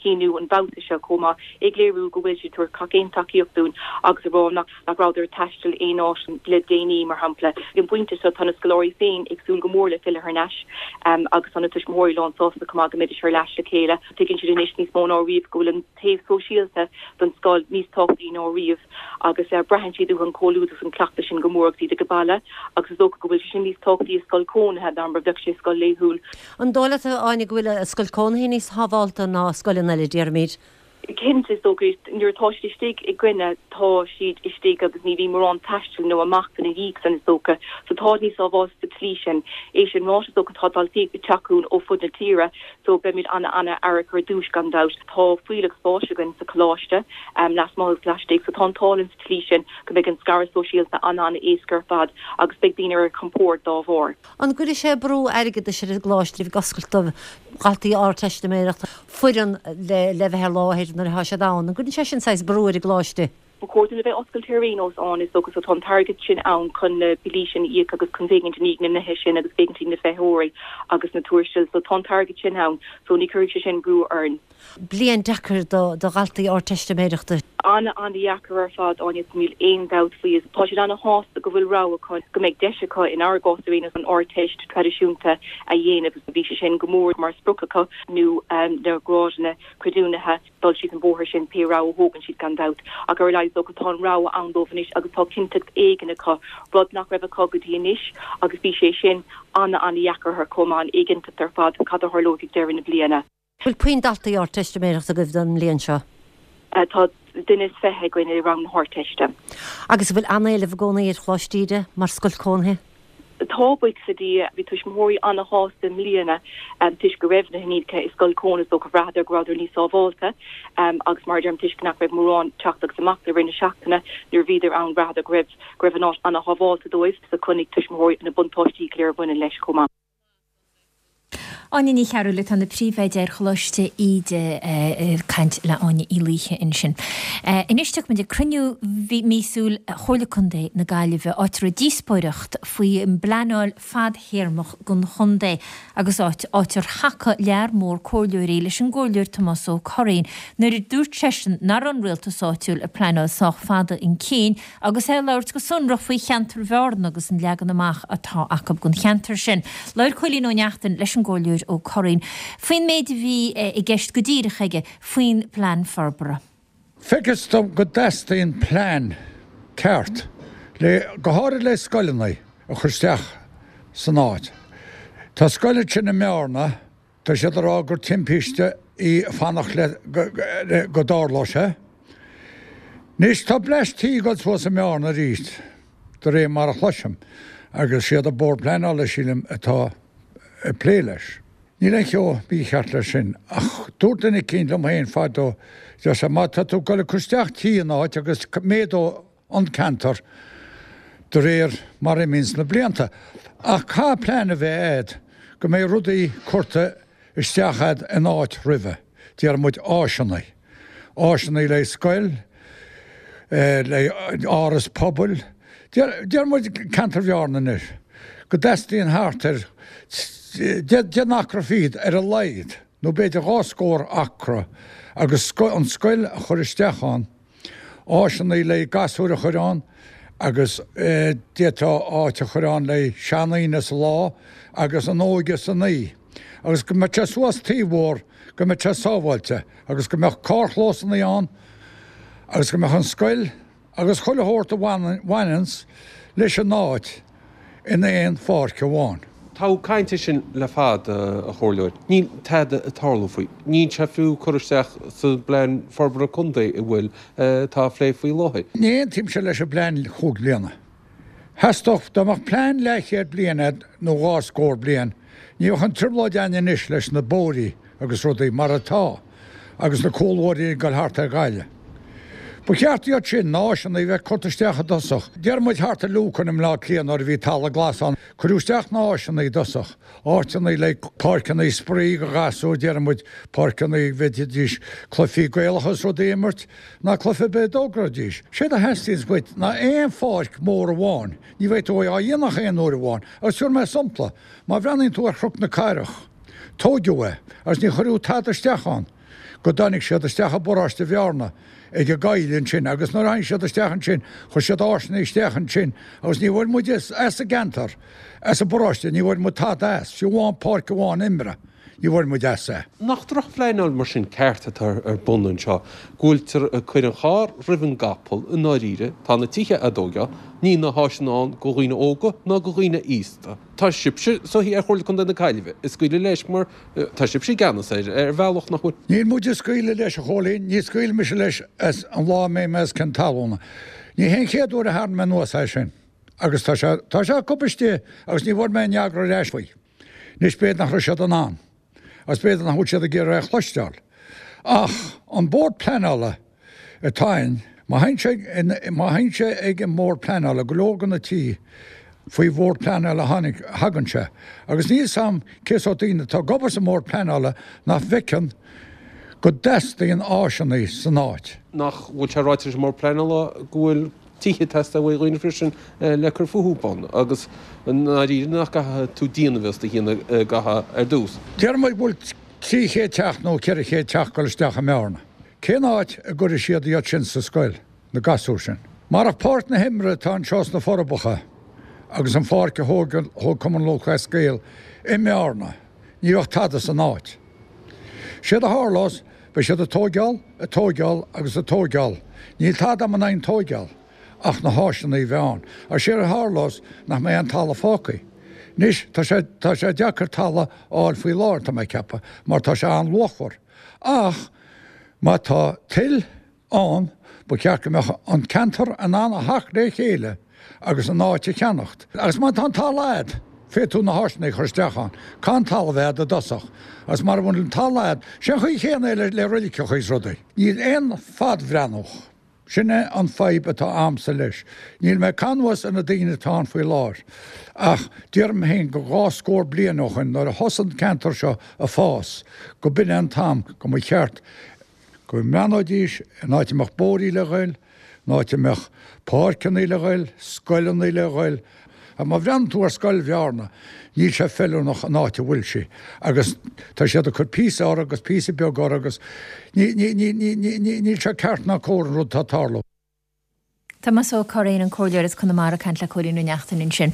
shíniú an babhta seo chomh maith, ag léiriú go bhfuil siad ag tabhairt gach aon tacaíocht dúinn agus ag rá nach rabhadar ag taisteal aon áit le déanaí, mar shampla. Ag an bpointe seo tá na scoláirí féin ag súil go. go mór le filleadh thar n-ais agus tá na tuismitheoirí lán sásta chomh maith go mbeidís ar ais le chéile. Tuigeann siad anois níos mó ná riamh go bhfuil an taobh sóisialta don scoil níos tábhachtaí ná riamh agus braitheann siad uathu an comhluadar agus an cleachtadh sin go mór agus iad ag baile agus is dócha go bhfuil sé sin níos tábhachtaí i scoil cónaithe ná mar a bheadh sé i scoil laethúil. An dóigh leat, a Áine, go bhfuil scoil cónaithe níos sábhálta ná scoileanna eile, déarfaimid? Cinnte, is dócha, nuair atá siad istigh i gcoinne, tá siad istigh agus ní bhíonn mórán taistil nó amach ina dhiaidh san, is dócha. So táid níos sábháilte sa tslí sin. É sin ráite, is dócha, tá daltaí ag teacht chugainn ó fud na tíre, so beimid ana-ana-aireach ar dtúis, gan dabht. Tá fuílleach spáis againn sa choláiste, lasmuigh agus laistigh, so tá an t-ádh linn sa tslí sin go mbeidh an scaradh sóisialta ana-ana-éasca ar fad agus beidh daoine ar a gcompord dá bharr. An gcuirfidh sé brú airgeadais ar an gcoláiste a bheith ag oscailt do dhaltaí Ardteistiméireachta, foireann le le bheith ar láthair nuair atá siad ann? An gcuireann sé sin saghas brú ar an gcoláiste? Ba chóir dúinn a bheith oscailte ar aon nós, Áine, is dócha, so tá an t-airgead sin ann chun na billí sin a íoc agus chun féachaint i ndiaidh na nithe sin agus féachaint i ndiaidh na feitheoirí agus na tuarastail, so tá an t-airgead sin ann, so ní chuirfidh sé sin brú orainn. Bliain deacair do dhaltaí Ardteistiméireachta. Ana, ana-dheacair ar fad, Áine, níl aon dabht faoi. Tá siad ana-shásta go bhfuil rogha acu, go mbeidh deis acu, inár gcás ar aon nós, an Ardteist traidisiúnta a dhéanamh. Bhí sé sin go mór mar sprioc acu, nó na grádanna creidiúnaithe, dul síos an bóthar sin, pé rogha a thógann siad gan dabht. Ach ar a laghad is dócha tá an rogha ann dóibh anois agus tá cinnteacht éigin acu, rud nach raibh acu go dtí anois agus bhí sé sin ana, ana-dheacair orthu chomh maith, an éiginnteacht ar fad, cad a tharlóidh ag deireadh na bliana. Bhfuil puinn daltaí Ardteistiméireachta agaibh don mbliain seo? Tá duine is 20 againn i rang na hArdteiste. Agus an bhfuil an-éileamh i gcónaí ar Choláiste Íde mar scoil cónaithe? Tá, buíochas le Dia. Bhí tuismitheoirí an-shásta i mbliana toisc go raibh na hiníonacha i scoil cónaithe is dócha bhraitheadar go rabhadar níos sábháilte agus mar a deirim toisc nach raibh mórán teacht agus imeacht i rith na seachtaine nuair a bhíodar ann bhraitheadar go raibh go raibh an áit an-shábháilte dóibh so chonaic tuismitheoirí na buntáistí go léir a bhaineann leis chomh maith. Áine Ní Chearúil atá ina príomhoide ar Choláiste Íde ag caint le Áine Uí Laoithe ansin. Anois tiocfaimid ag cruinniú míosúil Chomhairle Contae na Gaillimhe, áit a raibh díospóireacht faoi phleanáil fadthéarmach don chontae agus áit áit ar thacaigh lear mór comhairleoirí leis an gComhairleoir Tomás Ó Curraoin nuair a dúirt seisean nach raibh an rialtas áitiúil ag pleanáil sách fada chun cinn Agus é ag labhairt go sonrach faoi cheantar Bhearna agus an leagan amach atá acu don cheantar sin, labhair Cóilín Ó Neachtain leis an gComhairleoir Ó Curraoin faoin méid a bhí i gceist go díreach aige faoin bplean forbartha. Feictear dom go dteastaíonn plean ceart le, go háirid le scoileanna a chur isteach san áit. Tá scoil ansin i mBearna Tá siad ag rá gur timpiste í fanacht le go dtarlóidh sé. Anois tá bleaist tí ag dul suas i mBearna arís, de réir mar a chloisim, agus siad an Bord Pleanála, sílim, atá ag plé leis. Níl aon cheo mícheart leis sin, ach dúirt duine eicínt liom féin fadó, deir sé, má tá tú ag dul ag cur isteach tí in áit agus méadóidh an ceantar de réir mar a imíonns na blianta. Ach caithfidh plean a bheith a'd go mbeidh rudaí curtha isteach a'd in áit roimhe, déarfaidh muid áiseanna, áiseanna le scoil, le áras pobail, déarfaidh muid ceantar Bhearna anois, go dteastaíonn thart ar 10 n-acra fichead ar a laghad, nó b'fhéidir dhá scór acra agus an scoil a chur isteach ann. áiseanna le gasúir a chur ann agus d'fhéadfá áit a chur ann le seandaoine sa lá agus an óige san oíche agus go mbeadh sé suas taobh mhór, go mbeadh sé sábháilte agus go mbeadh carrchlósanna ann agus go mbeadh an scoil agus chuile shórt a bhaineanns leis an áit in aon pháirc amháin. Tá caint air sin le fada, a Chomhairleoir. Níl tada ag tarlú faoi. Níl sé fiú curtha isteach sa bPlean Forbartha Contae a bhfuil, atá á phlé faoi láthair. Ní aontaímse leis an bplean chúig bliana. Theastódh, dá mbeadh plean leathchéad bliain a'd nó dhá scór bliain, ní bheadh an trioblóid a'inn anois leis na bóithrí agus rudaí mar atá agus na cúlbhóithrí ag dul thart ar Ghaillimh. Ba cheart iad sin, na áiseanna, a bheith curtha isteach i dtosach. Déarfaidh muid thart ar Lucan i mBleá Cliath nuair a bhí talamh glas ann, cuireadh isteach na háiseanna i dtosach, áiteanna le páirceanna spraoi do ghasúir, déarfaidh muid páirceanna a bhféadfaidís cluichí Gaelacha is rudaí a imirt, ná cluiche ar bith a dtógfaidís. Séard a theastaíonns uait ná aon pháirc mhór amháin, ní bheidh tú á dhéanamh ach aon uair amháin. Agus tabharfaidh mé sampla, má bhreathnaíonn tú ar Chnoc na Cathrach, tóigeadh é agus ní chuireadh tada isteach ann. go dtáinig siad isteach i bparóiste Bhearna ag an gcoill ansin agus nuair a tháinig siad isteach ansin chuir siad áiseanna isteach ansin agus ní bhfuair muid as an gceantar, as an bparóiste, ní bhfuair muid tada as, fiú amháin páirc amháin imeartha, ní bhfuair muid as é. Nach drochphleanáil mar sin ceart atá ar bun anseo, go bhfuiltear ag cur an charr roimh an gcapall i ndáiríre, tá na tithe á dtóigeáil, níl na háiseanna ann go dhaoine óga ná go dhaoine aosta. Tá sibhse is dóichí ar Chomhairle Contae na Gaillimhe ag scaoileadh leis mar tá sibhse i gceannas air ar bhealach, nach bhfuil? Níl muid ag scaoileadh leis, a Chóilín, ní scaoilfidh mise leis as an lá a mbeidh mé os cionn talúna. Ní hé an chéad uair a tharraing mé anuas é sin agus tá sé, tá sé acu istigh agus ní bhfuair mé aon fhreagra ar ais faoi. Anois b'fhéidir nach raibh siad in ann agus b'fhéidir nach bhfuil siad ag iarraidh é a chloisteáil. Ach an Bord Pleanála atá ann, má théann sé, má théann sé ag an mBord Pleanála, go leor de na tithe faoi Bhord Pleanála a tháinig, thagann sé. Agus níl 'fhios a'm cé sórt daoine atá ag obair sa mBord Pleanála nach bhfeiceann go dteastaíonn áiseanna san áit. Nach bhfuil sé ráite leis an mBord Pleanála go bhfuil tithe ag teastáil uaidh dhaoine freisin le cur fúthu ann agus i ndáiríre nach gcaithfidh tú díon a bheith os do chionn gcaithfeá ar dtús. Deir muid go bhfuil 300 teach nó 400 teach ag dul isteach i mBearna. Cén áit a gcuirfidh siad iad sin sa scoil, na gasúir sin? Marach páirc na himeartha atá anseo sna Forbacha agus an pháirc a thóg Cumann Lúthchleas Gael i mBearna, ní bheadh tada san áit. Séard a tharlós, beidh siad ag tóigeáil, ag tóigeáil agus ag tóigeáil. Níl tada agam in aghaidh an tóigeáil, ach na háiseanna a bheith ann. Agus séard a tharlós, nach mbeidh aon talamh fágtha. Anois, tá sé, tá sé deacair talamh a fháil faoi láthair, tá mé ag ceapadh, mar tá sé an-luachmhar. Ach má tá toil ann, ba cheart go mbeadh an ceantar in ann a theacht le chéile agus an áit a cheannacht. Agus má tá an talamh a'd, féadfaidh tú na háiseanna a chur isteach ann. Caithfidh an talamh a bheith a'd i dtosach. Agus mara bhfuil an talamh a'd, sé an chaoi chéanna é le roiliceacha is rudaí. Níl aon fadbhreathnú. Sin é an fadhb atá a'msa leis. Níl mé ag caitheamh anuas ar na daoine atá ann faoi láthair. Ach déarfainn féin go dhá scór bliain ó shoin nuair a thosaigh an ceantar seo a fás, go b'in é an t-am go mba cheart go mbreathnóidís an áit a mbeadh bóithrí le ghoil, an áit a mbeadh páirceanna le ghoil, scoileanna le ghoil. Ach má bhreathnaíonn tú ar Scoil Bhearna, níl sé feiliúnach an áit a bhfuil sí agus tá siad ag cur píosa orthu agus píosa beag orthu agus ní, ní, ní, ní, ní, níl sé ceart ná cóir an rud atá ag tarlú. Tomás Ó Curraoin, an Comhairleoir as Conamara ag caint le Cóilín Ó Neachtain ansin.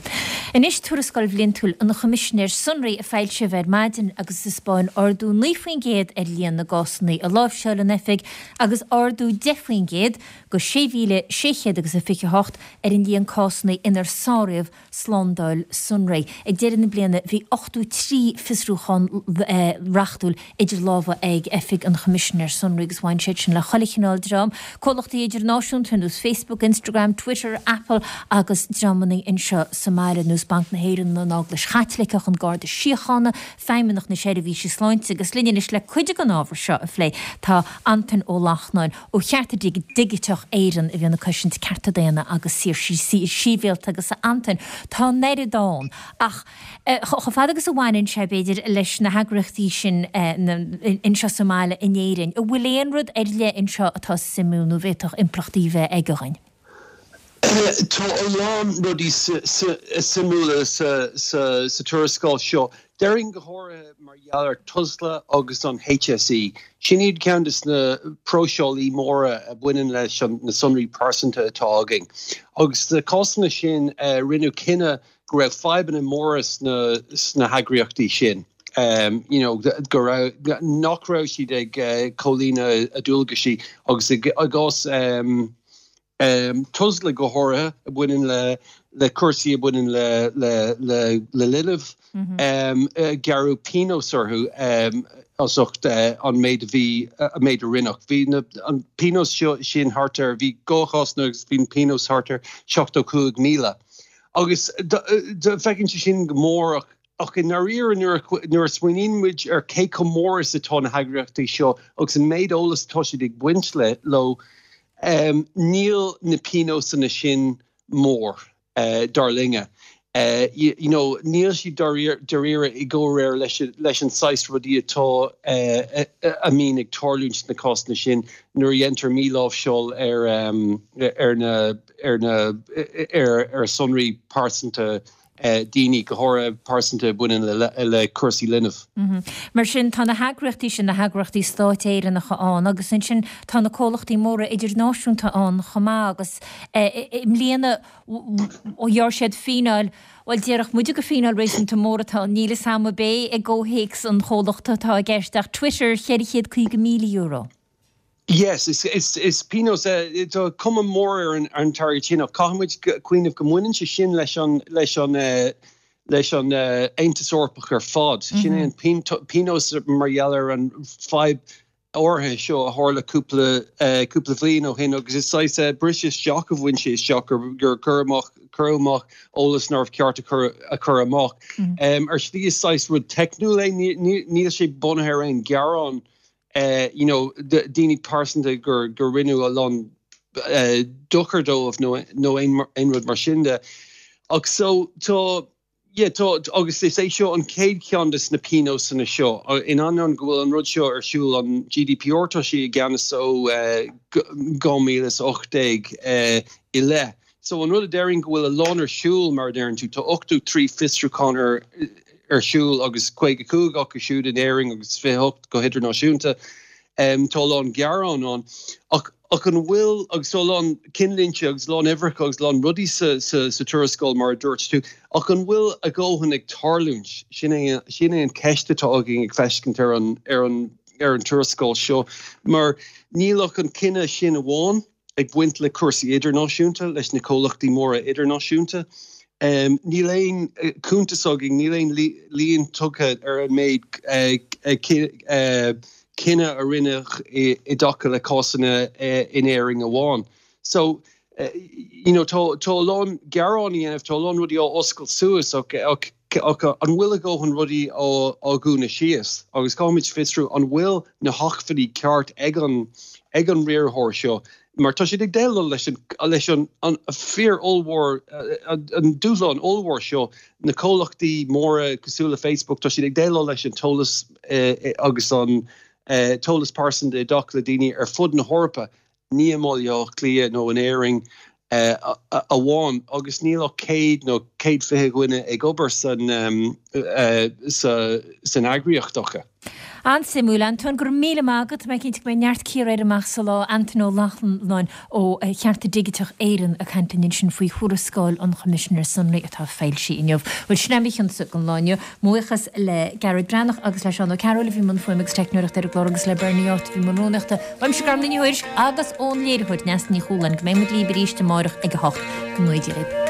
Anois tuarascáil bhliantúil an Choimisinéir Sonraí a foilsíodh ar maidin agus a thaispeáin ardú 9% ar líon na gcásanna a láimhseáil an oifig agus ardú 10% go 6,600 agus a 28 ar an líon cásanna inar sáraíodh slándáil sonraí. Ag deireadh na bliana bhí 83 fiosrúchán reachtúil idir lámha ag Oifig an Choimisinéir Sonraí agus bhain siad sin le chuile chineál dream, comhlachtaí idirnáisiúnta ar nós Facebook, Instagram, Twitter, Apple agus dreamanna anseo sa mbaile ar nós Banc na hÉireann, an Eaglais Chaitliceach, an Garda Síochána, Feidhmeannacht na Seirbhíse Sláinte agus linn anois le cuid den ábhar seo a phlé tá Antain Ó Lachtnáin ó Chearta Digiteach Éireann a bhíonn ag cosaint cearta daonna agus saoirsí sibhialta agus a Antain, tá an oiread ann ach chomh fada agus a bhaineann sé, b'fhéidir, leis na heagraíochtaí sin anseo sa mbaile in Éirinn, an bhfuil aon rud ar leith anseo atá suimiúil nó a bhféadfadh impleachtaí a bheith aige dhuinn? Tá a lán rudaí suimiúla sa tuarascáil seo. Déarfainn go háirithe mar gheall ar Tusla agus an HSE. Sin iad ceann de na próiseálaí móra a bhaineann leis na sonraí pearsanta atá againn. Agus sna cásanna sin rinneadh cinneadh go raibh fadhbanna móra sna heagraíochtaí sin, you know, go raibh, nach raibh siad ag comhlíonadh a ndualgaisí agus i gcás Tusla go háirithe, a bhaineann le le cúrsaí a bhaineann le le le le linbh, gearradh pionós orthu as ucht an méid a bhí, an méid a rinneadh. Bhí na, an pionós seo sin thart ar, bhí dhá chás agus bhí an pionós thart ar 75,000. Agus feiceann sé sin go mór ach ach i ndáiríre nuair a smaoiníonn muid ar cé chomh mór is atá na heagraíochtaí seo agus an méid eolais atá siad ag baint leo, níl na pionósanna sin mór, dar linne. You know, níl siad dáiríre i gcomhréir leis an saghas rudaí atá, a mbíonn ag tarlúint sna cásanna sin nuair a dhéantar míláimhseáil ar ar na ar na ar sonraí pearsanta. daoine, go háirithe pearsanta a bhaineann le cúrsaí linbh. Mar sin, tá na heagraíochtaí sin, na heagraíochtaí stáit Éireannacha ann agus ansin tá na comhlachtaí móra idirnáisiúnta ann chomh maith agus i mbliana ghearr siad fíneáil, bhuel déarfadh muide gur fíneáil réasúnta mór atá ann, níl 'fhios a'm ab é i gcomhthéacs an chomhlachta atá i gceist ach Twitter, €450,000. Yes, is pionós é. Tá cuma mór ar an t-airgead sin ach caithfidh muid cuimhneamh go mbaineann sé sin leis an leis an leis an Aontas Eorpach ar fad. Sin é an pionós mar gheall ar an fadhb áirithe seo a tharla cúpla cúpla bhliain ó shin agus is saghas briseadh isteach a bhain sé isteach gur gur cuireadh amach cuireadh amach eolas nárbh cheart a chur a chur amach. Ar shlí is saghas rud teicniúil é, níl sé bunaithe ar aon ghearán you know, daoine pearsanta gur gur rinneadh a lán dochar dóibh nó nó aon aon rud mar sin de. Ach so tá yeah tá agus is é seo an chéad cheann de na pionósanna seo. In ainneoin go bhfuil an rud seo ar siúl an GDPR tá sé i gceannas ó 2018 i leith. So an rud a déarfainn go bhfuil a lán ar siúl mar a deireann tú, tá 83 fiosrúchán ar ar siúl agus 55 acu siúd in Éirinn agus 28 go hidirnáisiúnta. Tá a lán gearán ann. Ach ach an bhfuil, agus tá a lán cinnlínte agus a lán uimhreacha agus a lán rudaí sa sa sa tuarascáil mar a dúirt tú, ach an bhfuil a dhóthain ag tarlúint? Sin é sin é an ceist atá againn ag feiscint ar an ar an ar an tuarascáil seo mar níl ach an cinneadh sin amháin. ag baint le cúrsaí idirnáisiúnta, leis na comhlachtaí móra idirnáisiúnta. Níl aon cuntas againn, níl aon líon tugtha ar an méid cinneadh a rinneadh i dtaca le cásanna in Éirinn amháin. So, you know, tá a lán gearán á dhéanamh, tá a lán rudaí á oscailt suas ach ach an bhfuil a dhóthain rudaí á dhúnadh síos? Agus caithfimid fiosrú an bhfuil na hacmhainní ceart ag an ag an riarthóir seo mar tá siad ag déileáil leis an leis an an fíor ollmhór an dúshlán ollmhór seo na comhlachtaí móra cosúil le Facebook tá siad ag déileáil leis an t-eolas agus an t-eolas pearsanta i dtaca le daoine ar fud na hEorpa ní i mBaile Átha Cliath nó in Éirinn amháin agus níl ach 100 nó 120 dhuine ag obair san san eagraíocht acu. An-suimiúil, Antóin. Go raibh míle maith agat. Tá mé cinnte go mbeidh neart cíoradh air amach sa lá. Antóin Ó Lochlainn ó Chearta Digiteach Éireann ag caint linn ansin faoi thuarascáil an Choimisinéir Sonraí atá foilsithe inniu. Bhuel, sin é mo chionsa don lá inniu. Mo bhuíochas le Gearóid Breathnach agus le Seán Ó Cearúil a bhí i mbun fuaime agus teicneoireachta ar an gclár agus le Bernie Áit a bhí i mbun rúnaíochta. Uaimse Gormfhlaith Ní Thuairisg agus ón léiritheoir Neasa Ní Chualáin go mbeidh muid libh arís amárach ag a 8. Go ngnóthaí Dia libh.